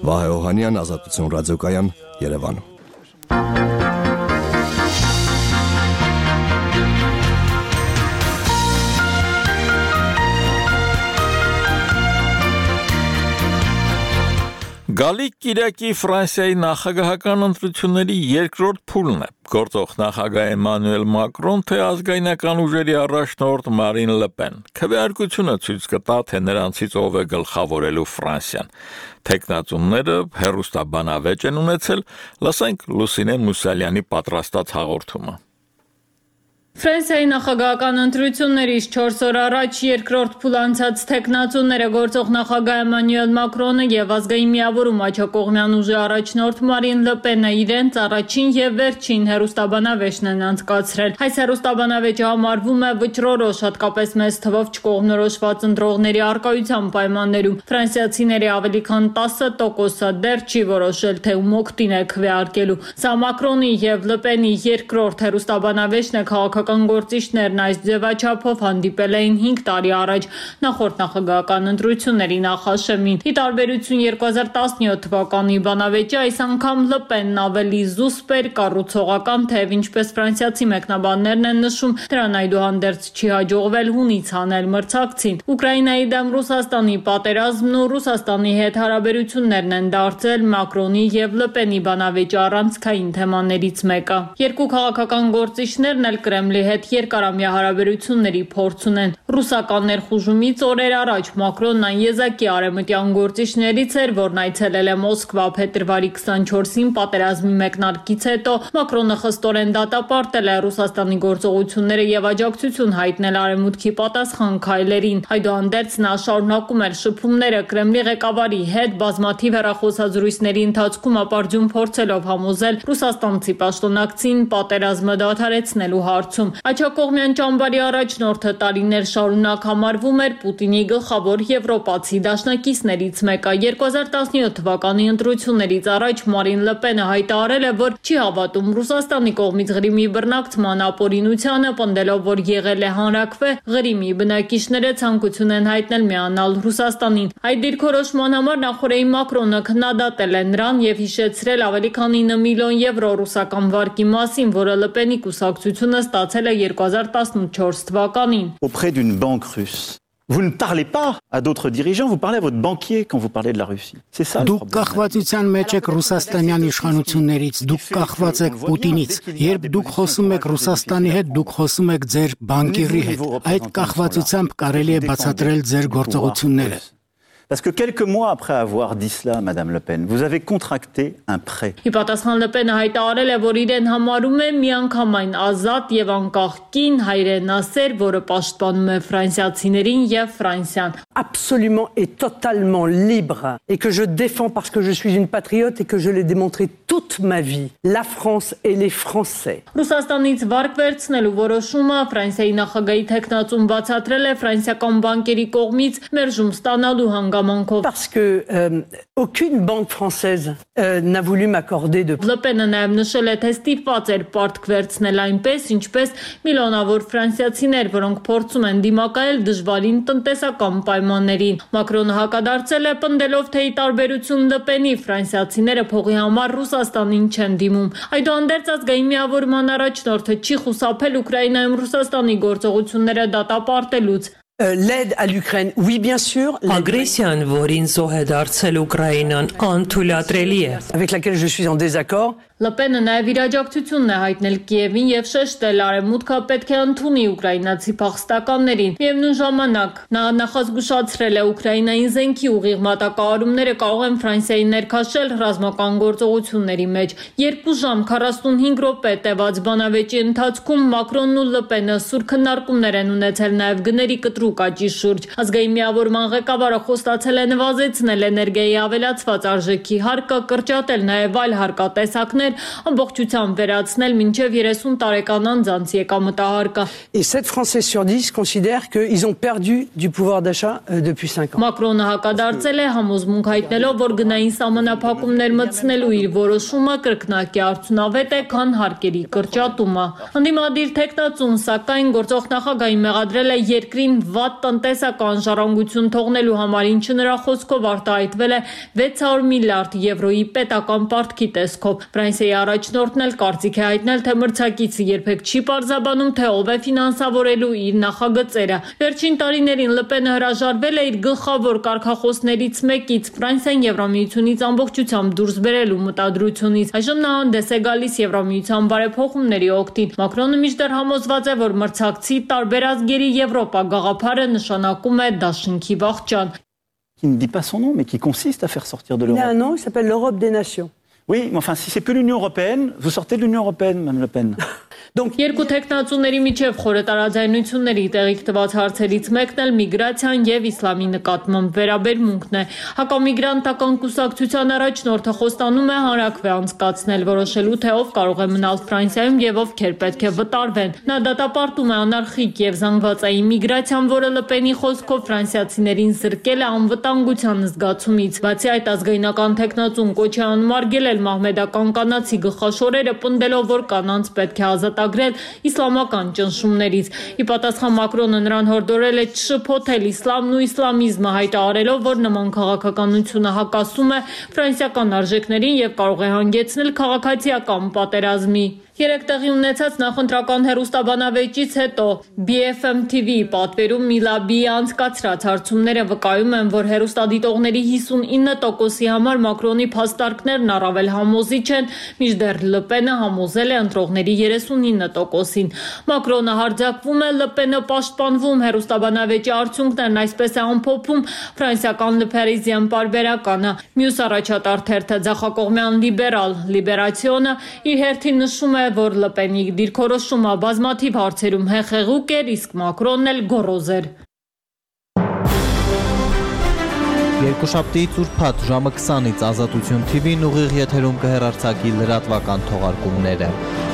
Վահե Օհանյան, Ազատություն ռադիոկայան, Երևան։ Գալիք Կիրակի Ֆրանսիայի նախագահական ընտրությունների երկրորդ փուլն է։ Գործող նախագահ Էմանուել Մակրոն, թե ազգայնական ուժերի առաջնորդ Մարին Լը Պեն։ Քվեարկությունը ցույց կտա, թե նրանցից ով է գլխավորելու Ֆրանսիան։ Տեխնացուները հերոստաբանավեճ են ունեցել, լսենք Լուսինե Մուսալյանի պատրաստած հաղորդումը։ Ֆրանսիայի նախագահական ընտրություններից չորս օր առաջ երկրորդ փուլ անցած տեխնացուները գործող նախագահ Էմանուել Մակրոնը եւ ազգային միավորում աջակողմյան ուժի առաջնորդ Մարին Լը Պենը իրենց առաջին եւ վերջին հերոստաբանավեճն են անցկացրել։ Այս հերոստաբանավեճը համարվում է վճռորոշ, հատկապես մեծ թվով չկողմնորոշված ընտրողների առկայության պայմաններում։ Ֆրանսիացիների ավելի քան տասը տոկոսը դեռ չի որոշել, թե ում օգտին է քվեարկելու։ Սա Մակրոնի եւ Լը Պենի երկրորդ հերոստաբանավեճն է քաղաքական գործիչներն այս ձևաչափով հանդիպել էին հինգ տարի առաջ նախորդ նախագահական ընտրությունների նախաշեմին։ Ի տարբերություն երկու հազար տասնյոթ թվականի բանավեճի, այս անգամ Լը Պենն ավելի զուսպ էր, կառուցողական, թեև ինչպես ֆրանսիացի մեկնաբաններն են նշում, դրան այդուհանդերձ չի հաջողվել հունից հանել մրցակցին։ Ուկրաինայի դեմ Ռուսաստանի պատերազմն ու Ռուսաստանի հետ հարաբերություններն են դարձել Մակրոնի եւ Լը Պենի բանավեճի առանցքային թեմաներից մեկը։ Երկու քաղաքական գործիչներն էլ Կրեմլի Կրեմլի հետ երկարամյա հարաբերությունների փորձ ունեն։ Ռուսական ներխուժումից օրեր առաջ Մակրոնն այն եզակի արևմտյան գործիչներից էր, որն այցելել է Մոսկվա փետրվարի քսանչորսին պատերազմի մեկնարկից հետո Մակրոնը խստորեն դատապարտել է Ռուսաստանի գործողությունները եւ աջակցություն հայտնել արևմուտքի պատասխան քայլերին։ Այդուհանդերձ նա շարունակում էր շփումները Կրեմլի ղեկավարի հետ բազմաթիվ հեռախոսազրույցների ընթացքում ապարդյուն փորձելով համոզել ռուսաստանցի պաշտոնակցին պատերազմը դադարեցնելու հարցում։ Աջակողմյան ճամբարի առաջնորդը տարիներ շարունակ համարվում էր Պուտինի գլխավոր եվրոպացի դաշնակիցներից մեկը։ երկու հազար տասնյոթ թվականի ընտրություններից առաջ Մարին Լեպենը հայտարարել է, որ չի հավատում Ռուսաստանի կողմից Ղրիմի բռնակցման ապօրինությանը, պնդելով, որ եղել է հանրաքվե, Ղրիմի բնակիչները ցանկություն են հայտնել միանալ Ռուսաստանին։ Այդ դիրքորոշման համար նախորդին Մակրոնը քննադատել է նրան եւ հիշեցրել ավելի քան ինը միլիոն եվրո ռուսական վարկի մասին, որը Լեպենի կուսակցությունը ստացել է երկու հազար տասնչորս թվականին։ Auprès d'une banque russe. Vous ne parlez pas à d'autres dirigeants, vous parlez à votre banquier quand vous parlez de la Russie. C'est ça le problème. Դուք կախվածության մեջ եք ռուսաստանյան իշխանություններից, դուք կախված եք Պուտինից։ Երբ դուք խոսում եք Ռուսաստանի հետ, դուք խոսում եք ձեր բանկիրի հետ։ Այդ կախվածությամբ կարելի է բացատրել ձեր գործողությունները։ Parce que quelques mois après avoir dit cela, Madame Le Pen, vous avez contracté un prêt. Ի պատասխան Լեպենը հայտարարել է, որ իրեն համարում է միանգամայն ազատ եւ անկախ կին հայրենասեր, որը պաշտպանում է ֆրանսիացիներին եւ Ֆրանսիան։ Absolument et totalement libre et que je défends parce que je suis une patriote et que je l'ai démontré toute ma vie. La France et les Français. Ռուսաստանից վարկ վերցնելու որոշումը Ֆրանսիայի նախագահի թեկնածուն բացատրել է ֆրանսիական բանկերի կողմից մերժում ստանալու հանգամանքով։ Parce que euh, aucune banque française euh, n'a voulu m'accorder de Լեպենը նաև նշել է, թե ստիպված էր պարտք վերցնել այնպես, ինչպես միլիոնավոր ֆրանսիացիներ, որոնք փորձում են դիմակայել դժվարին տնտեսական պայմաններին։ Մակրոնը հակադարձել է, պնդելով, թե ի տարբերություն Լեպենի ֆրանսիացիները փողի համար Ռուսաստանին չեն դիմում։ Այդուհանդերձ ազգային միավորման առաջնորդը չի խուսափել Ուկրաինայում Ռուսաստանի գործողությունները դատապարտելուց։ Euh, l'aide à l'Ukraine, oui bien sûr. Ագրեսիան, որին զոհ է դարձել Ուկրաինան, անթույլատրելի է։ Avec laquelle je suis en désaccord. Լեպենը նաև իր աջակցությունն է հայտնել Կիևին եւ շեշտել արևմուտքը պետք է ընդունի ուկրաինացի փախստականներին։ Միևնույն ժամանակ նա նախազգուշացրել է Ուկրաինային զենքի ուղիղ մատակարարումները կարող են Ֆրանսիայի ներքաշել ռազմական գործողությունների մեջ։ երկու ժամ քառասունհինգ րոպե տևած բանավեճի ընթացքում Մակրոնն ու Լեպենը սուր քննարկումներ են ունեցել նաև գների կտրուկ աճի շուրջ։ Ազգային միավորման ղեկավարը խոստացել է նվազեցնել էներգիայի ավելացված արժեքի հարկը, կրճատել նաև այլ հարկատեսակներ, ամբողջությամբ վերացնել մինչև երեսուն տարեկան անձանց եկամտահարկը։ Et sept Français sur dix considèrent qu'ils ont perdu du pouvoir d'achat euh, depuis cinq ans. Մակրոնը հակադարձել է համոզմունք հայտնելով, որ գնային սահմանափակումներ մտցնելու իր որոշումը կրկնակի արդյունավետ է, քան հարկերի կրճատումը։ Ընդդիմադիր թեկնածուն, սակայն գործող նախագահին մեղադրել է երկրին վատ տնտեսական ժառանգություն թողնելու համար, ինչը նրա խոսքով արտահայտվել է վեց հարյուր միլիարդ եվրոյի պետական պարտքի տեսքով։ Ֆրանսիայի առաջնորդն էլ կարծիք է հայտնել, թե մրցակիցը երբեք չի պարզաբանում, թե ով է ֆինանսավորելու իր նախագծերը։ Վերջին տարիներին Լեպենը հրաժարվել է իր գլխավոր կարգախոսներից մեկից՝ Ֆրանսիան Եվրամիությունից ամբողջությամբ դուրս բերելու մտադրությունից։ Այժմ նա հանդես է գալիս Եվրամիության բարեփոխումների օգտին։ Մակրոնը մինչդեռ համոզված է, որ մրցակցի տարբեր ազգերի Եվրոպա գաղափարը նշանակում է դաշինքի վախճան։ Qui ne dit pas son nom, mais qui consiste à faire sortir de l'Europe. Il a un nom, il s'appelle l'Europe des nations. Oui, mais enfin, si c'est plus l'Union européenne, vous sortez de l'Union européenne, Mme Le Pen. Երկու տեխնացուների միջև խորը տարաձայնությունների տեղիք տված հարցերից մեկն էլ միգրացիան եւ իսլամի նկատմամբ վերաբերմունքն է։ Հակամիգրանտական կուսակցության առաջնորդը խոստանում է հանրաքվե անցկացնել, որոշելու թե ով կարող է մնալ Ֆրանսիայում եւ ովքեր պետք է վտարվեն։ Նա դատապարտում է անարխիկ եւ զանգվածային միգրացիան, որը Լեպենի խոսքով ֆրանսիացիներին զրկել է անվտանգության զգացումից։ Բացի այդ, ազգայնական տեխնացուն կոչ է անմարգել մահմեդական կանացի գլխաշորերը, պնդելով, որ կանանց պետք է ազատագրել իսլամական ճնշումներից։ Ի պատասխան Մակրոնը նրան հորդորել է չշփոթել իսլամն ու իսլամիզմը, հայտարարելով, որ նման քաղաքականությունը հակասում է ֆրանսիական արժեքներին եւ կարող է հանգեցնել քաղաքացիական պատերազմի։ Երեք տեղի ունեցած նախընտրական հեռուստաբանավեճից հետո B F M T V պատվերում Միլաբիի անցկացրած հարցումները վկայում են, որ հեռուստադիտողների հիսունինը տոկոսի համար Մակրոնի փաստարկներն առավել համոզիչ են, մինչդեռ Լը Պենը համոզել է ընտրողների երեսունինը տոկոսին։ Մակրոնը հարձակվում է, Լը Պենը պաշտպանվում, հեռուստաբանավեճի արդյունքներն այսպես է ամփոփում ֆրանսիական Le Parisien պարբերականը։ Մյուս առաջատար թերթը ձախակողմյան լիբերալ Լիբերացիոնը իր հերթին նշում է, որ Լը Պենի դիրքորոշումը բազմաթիվ հարցերում հեղեղուկ էր, իսկ Մակրոնն էլ գոռոզ էր։ Երկուշաբթիից ուրբաթ ժամը քսանից Ազատություն T V-ն ուղիղ եթերում կհեռարձակի լրատվական թողարկումները։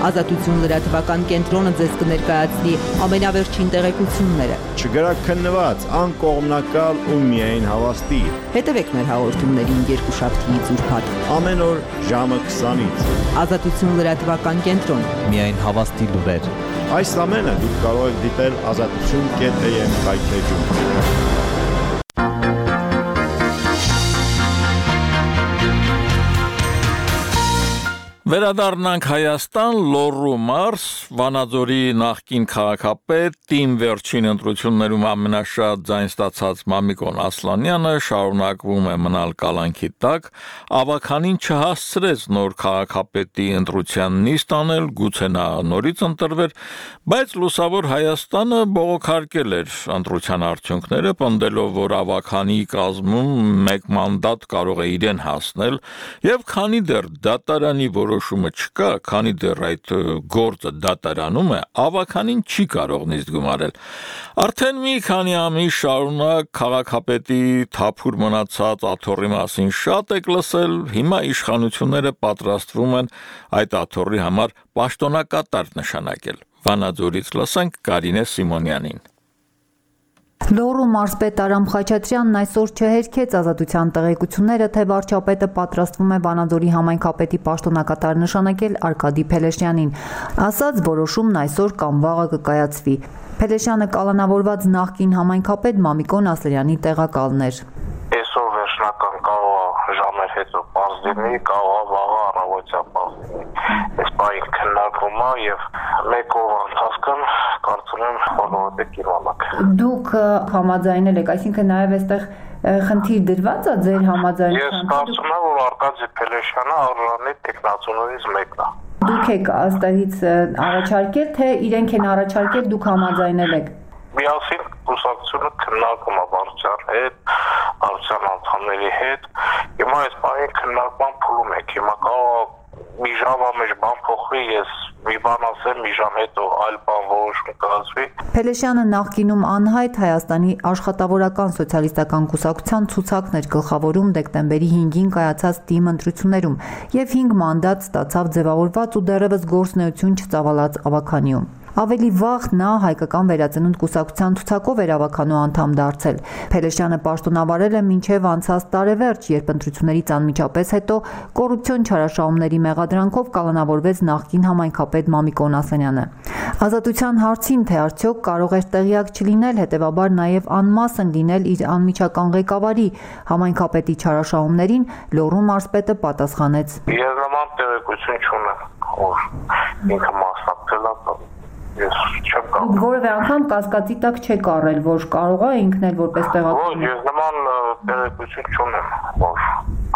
Ազատություն լրատվական կենտրոնը ձեզ կներկայացնի ամենավերջին տեղեկությունները։ Չգրակ քննված, անկողմնակալ ու միայն հավաստի։ Հետևեք մեր հաղորդումներին երկուշաբթիից ուրբաթ ամեն օր ժամը քսանից։ Ազատություն լրատվական կենտրոն։ Միայն հավաստի լուրեր։ Այս ամենը դուք կարող եք դիտել ազատություն կետ A M կայքեջում։ Վերադառնանք Հայաստան, Լոռու մարզ, Վանաձորի նախկին քաղաքապետ, Տիմ վերջին ընտրություններում ամենաշատ ձայն ստացած Մամիկոն Ասլանյանը շարունակվում է մնալ կալանքի տակ, ավականին չհասցրեց նոր քաղաքապետի ընտրության նիստ անել, գուցե նա նորից ընտրվեր, բայց լուսավոր Հայաստանը բողոքարկել էր ընտրության արդյունքները, պնդելով, որ ավականի կազմում մեկ մանդատ կարող է իրեն հասնել, եւ քանի դեռ դատարանի որոշումը չկա, քանի դեռ այդ գործը դատարանում է, ավականին չի կարող նիստ գումարել։ Արդեն մի քանի ամիս շարունակ քաղաքապետի թափուր մնացած աթոռի մասին շատ եք լսել, հիմա իշխանությունները պատրաստվում են այդ աթոռի համար պաշտոնակատար նշանակել։ Վանաձորից լսենք Կարինե Սիմոնյանին։ Լոռու մարզպետ Արամ Խաչատրյանն այսօր չհերքեց Ազատության տեղեկությունները, թե վարչապետը պատրաստվում է Վանաձորի համայնքապետի պաշտոնակատար նշանակել Արկադի Փելեշյանին։ Ասաց, որոշումն այսօր կամ վաղը կկայացվի։ Փելեշյանը կալանավորված նախկին համայնքապետ Մամիկոն Ասլանյանի տեղակալն էր։ Այսօր վերջնական կարող է ժամեր հետո պարզ լինի, կարող է վաղը առավոտյան պարզ լինի։ Այս բանը քննարկվում է եւ մեկ օր ընթացքում կարծում եմ բոլորը կիմանաք։ Դուք համաձայնել եք, այսինքն նաև այստեղ խնդիր դրված է ձեր համաձայնության։ Ես կարծում եմ, որ Արկադի Փելեշյանը առանց տեխնացուներից մեկն է։ Դուք եք այստեղից առաջարկել, թե իրենք են առաջարկել, դուք համաձայնել եք։ Միասին կուսակցությունը քննարկում է վարչության հետ, վարչության անդամների հետ։ Հիմա այս բանի քննարկման փուլում եք։ Հիմա կարող մի ժամվա մեջ բան փոխվի, ես մի բան ասեմ, մի ժամ հետո այլ բան որոշում կայացվի։ Փելեշյանը նախկինում անհայտ Հայաստանի աշխատավորական սոցիալիստական կուսակցության ցուցակն էր գլխավորում դեկտեմբերի հինգին կայացած Տիմ ընտրություններում եւ հինգ մանդատ ստացավ ձևավորված ու դեռևս գործունեություն չծավալած ավականիում։ Ավելի վաղ նա հայկական վերածնունդ կուսակցության ցուցակով էր ավականու անդամ դարձել։ Փելեշյանը պաշտոնավարել է մինչև անցած տարեվերջ, երբ ընտրություններից անմիջապես հետո կոռուպցիոն չարաշահումների մեղադրանքով կալանավորվեց նախկին համայնքապետ Մամիկոն Ասլանյանը։ Ազատության հարցին, թե արդյոք կարող էր տեղյակ չլինել, հետևաբար նաև անմասն լինել իր անմիջական ղեկավարի համայնքապետի չարաշահումներին, Լոռու մարզպետը պատասխանեց. Ես նման տեղեկություն չունեմ, որ ինքը մասնակցել է։ Ես չեմ կարող։ Որևէ անգամ կասկածի տակ չեք առել, որ կարող է ինքն էլ որպես տեղակալ։ Ոչ, ես նման տեղեկություն չունեմ, որ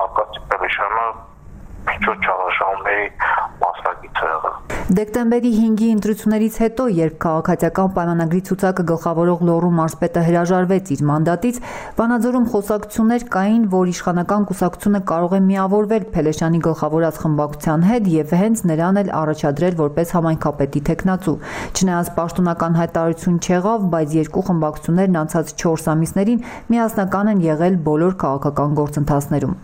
Արկադի Փելեշյանը միջոց չարաշահումների մասնակից է եղել։ Դեկտեմբերի հինգի ընտրություններից հետո, երբ քաղաքացիական պայմանագրի ցուցակը գլխավորող Լոռու մարզպետը հրաժարվեց իր մանդատից, Վանաձորում խոսակցություններ կային, որ իշխանական կուսակցությունը կարող է միավորվել Փելեշյանի գլխավորած խմբակցության հետ եւ հենց նրան էլ առաջադրել որպես համայնքապետի թեկնածու։ Չնայած պաշտոնական հայտարարություն չեղավ, բայց երկու խմբակցություններն անցած չորս ամիսներին միասնական են եղել բոլոր քաղաքական գործընթացներում։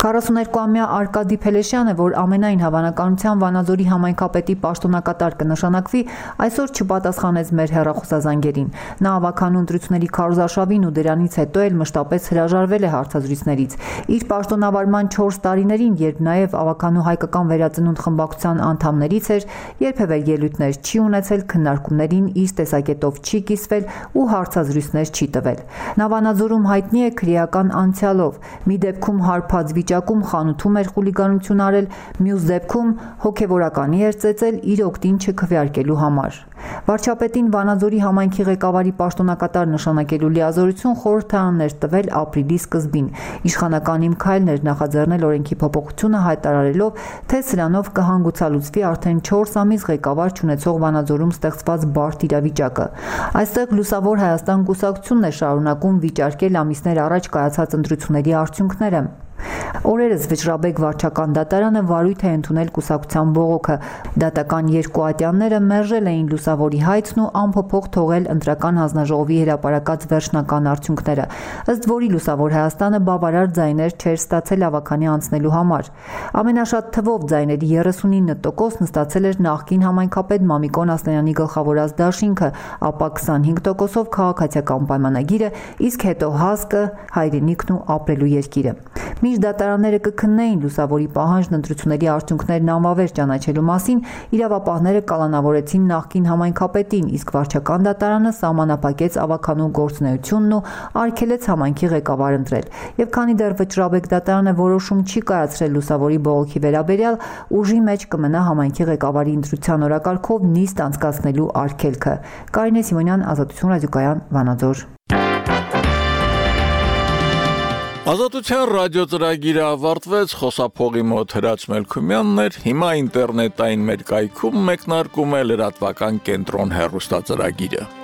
քառասուներկուամյա Արկադի Փելեշյանը, որ ամենայն հավանականությամբ Վանաձորի համայնքապետի պաշտոնակատար կնշանակվի, այսօր չպատասխանեց մեր հեռախոսազանգերին։ Նա ավականու ընտրությունների քարոզարշավին ու դրանից հետո էլ մշտապես հրաժարվել է հարցազրույցներից։ Իր պաշտոնավարման չորս տարիներին, երբ նաև ավականու հայկական վերածնունդ խմբակցության անդամներից էր, երբևէ ելույթներ չի ունեցել, քննարկումներին իր տեսակետով չի կիսվել ու հարցազրույցներ չի տվել։ Նա Վանաձորում հայտնի է քրեական անցյալով։ Մի դեպքում հարբած վիճակում խանութում էր խուլիգանություն արել, մյուս դեպքում հոգևոր փորականի էր ծեծել իր օգտին չքվեարկելու համար։ Վարչապետին Վանաձորի համայնքի ղեկավարի պաշտոնակատար նշանակելու լիազորություն խորհրդարաններ տվել ապրիլի սկզբին։ Իշխանական իմ քայլն էր նախաձեռնել օրենքի փոփոխությունը հայտարարելով, թե սրանով կհանգուցալուծվի արդեն չորս ամիս ղեկավար չունեցող Վանաձորում ստեղծված բարդ իրավիճակը։ Այստեղ Լուսավոր Հայաստան կուսակցությունն է շարունակում վիճարկել ամիսներ առաջ կայացած ընտրությունների արդյունքները։ Օրերս Վճռաբեկ վարչական դատարանը վարույթ է ընդունել կուսակցության բողոքը։ Դատական երկու ատյանները մերժել էին Լուսավորի հայցն ու անփոփոխ թողել ընտրական հանձնաժողովի հրապարակած վերջնական արդյունքները, ըստ որի Լուսավոր Հայաստանը բավարար ձայներ չէր ստացել ավականի անցնելու համար։ Ամենաշատ թվով ձայների երեսունինը տոկոսն ստացել էր նախկին համայնքապետ Մամիկոն Ասլանյանի գլխավորած դաշինքը, ապա քսանհինգ տոկոսով քաղաքացիական պայմանագիրը, իսկ հետո ՀԱՍԿ-ը, Հայրենիքն ու ապրելու երկիրը։ Մինչ դատարանները կքննեին Լուսավորի պահանջն ընտրությունների արդյունքներն անվավեր ճանաչելու մասին, իրավապահները կալանավորեցին նախկին համայնքապետին, իսկ վարչական դատարանը սահմանափակեց ավականու գործունեությունն ու արգելեց համայնքի ղեկավար ընտրել։ Եվ քանի դեռ Վճռաբեկ դատարանը որոշում չի կայացրել Լուսավորի բողոքի վերաբերյալ, ուժի մեջ կմնա համայնքի ղեկավարի ընտրության օրակարգով նիստ անցկացնելու արգելքը։ Կարինե Սիմոնյան, Ազատություն ռադիոկայան, Վանաձոր։ Ազատության ռադիոծրագիրը ավարտվեց, խոսափողի մոտ Հրաչ Մելքումյանն էր, հիմա ինտերնետային մեր կայքում մեկնարկում է լրատվական կենտրոն հեռուստածրագիրը։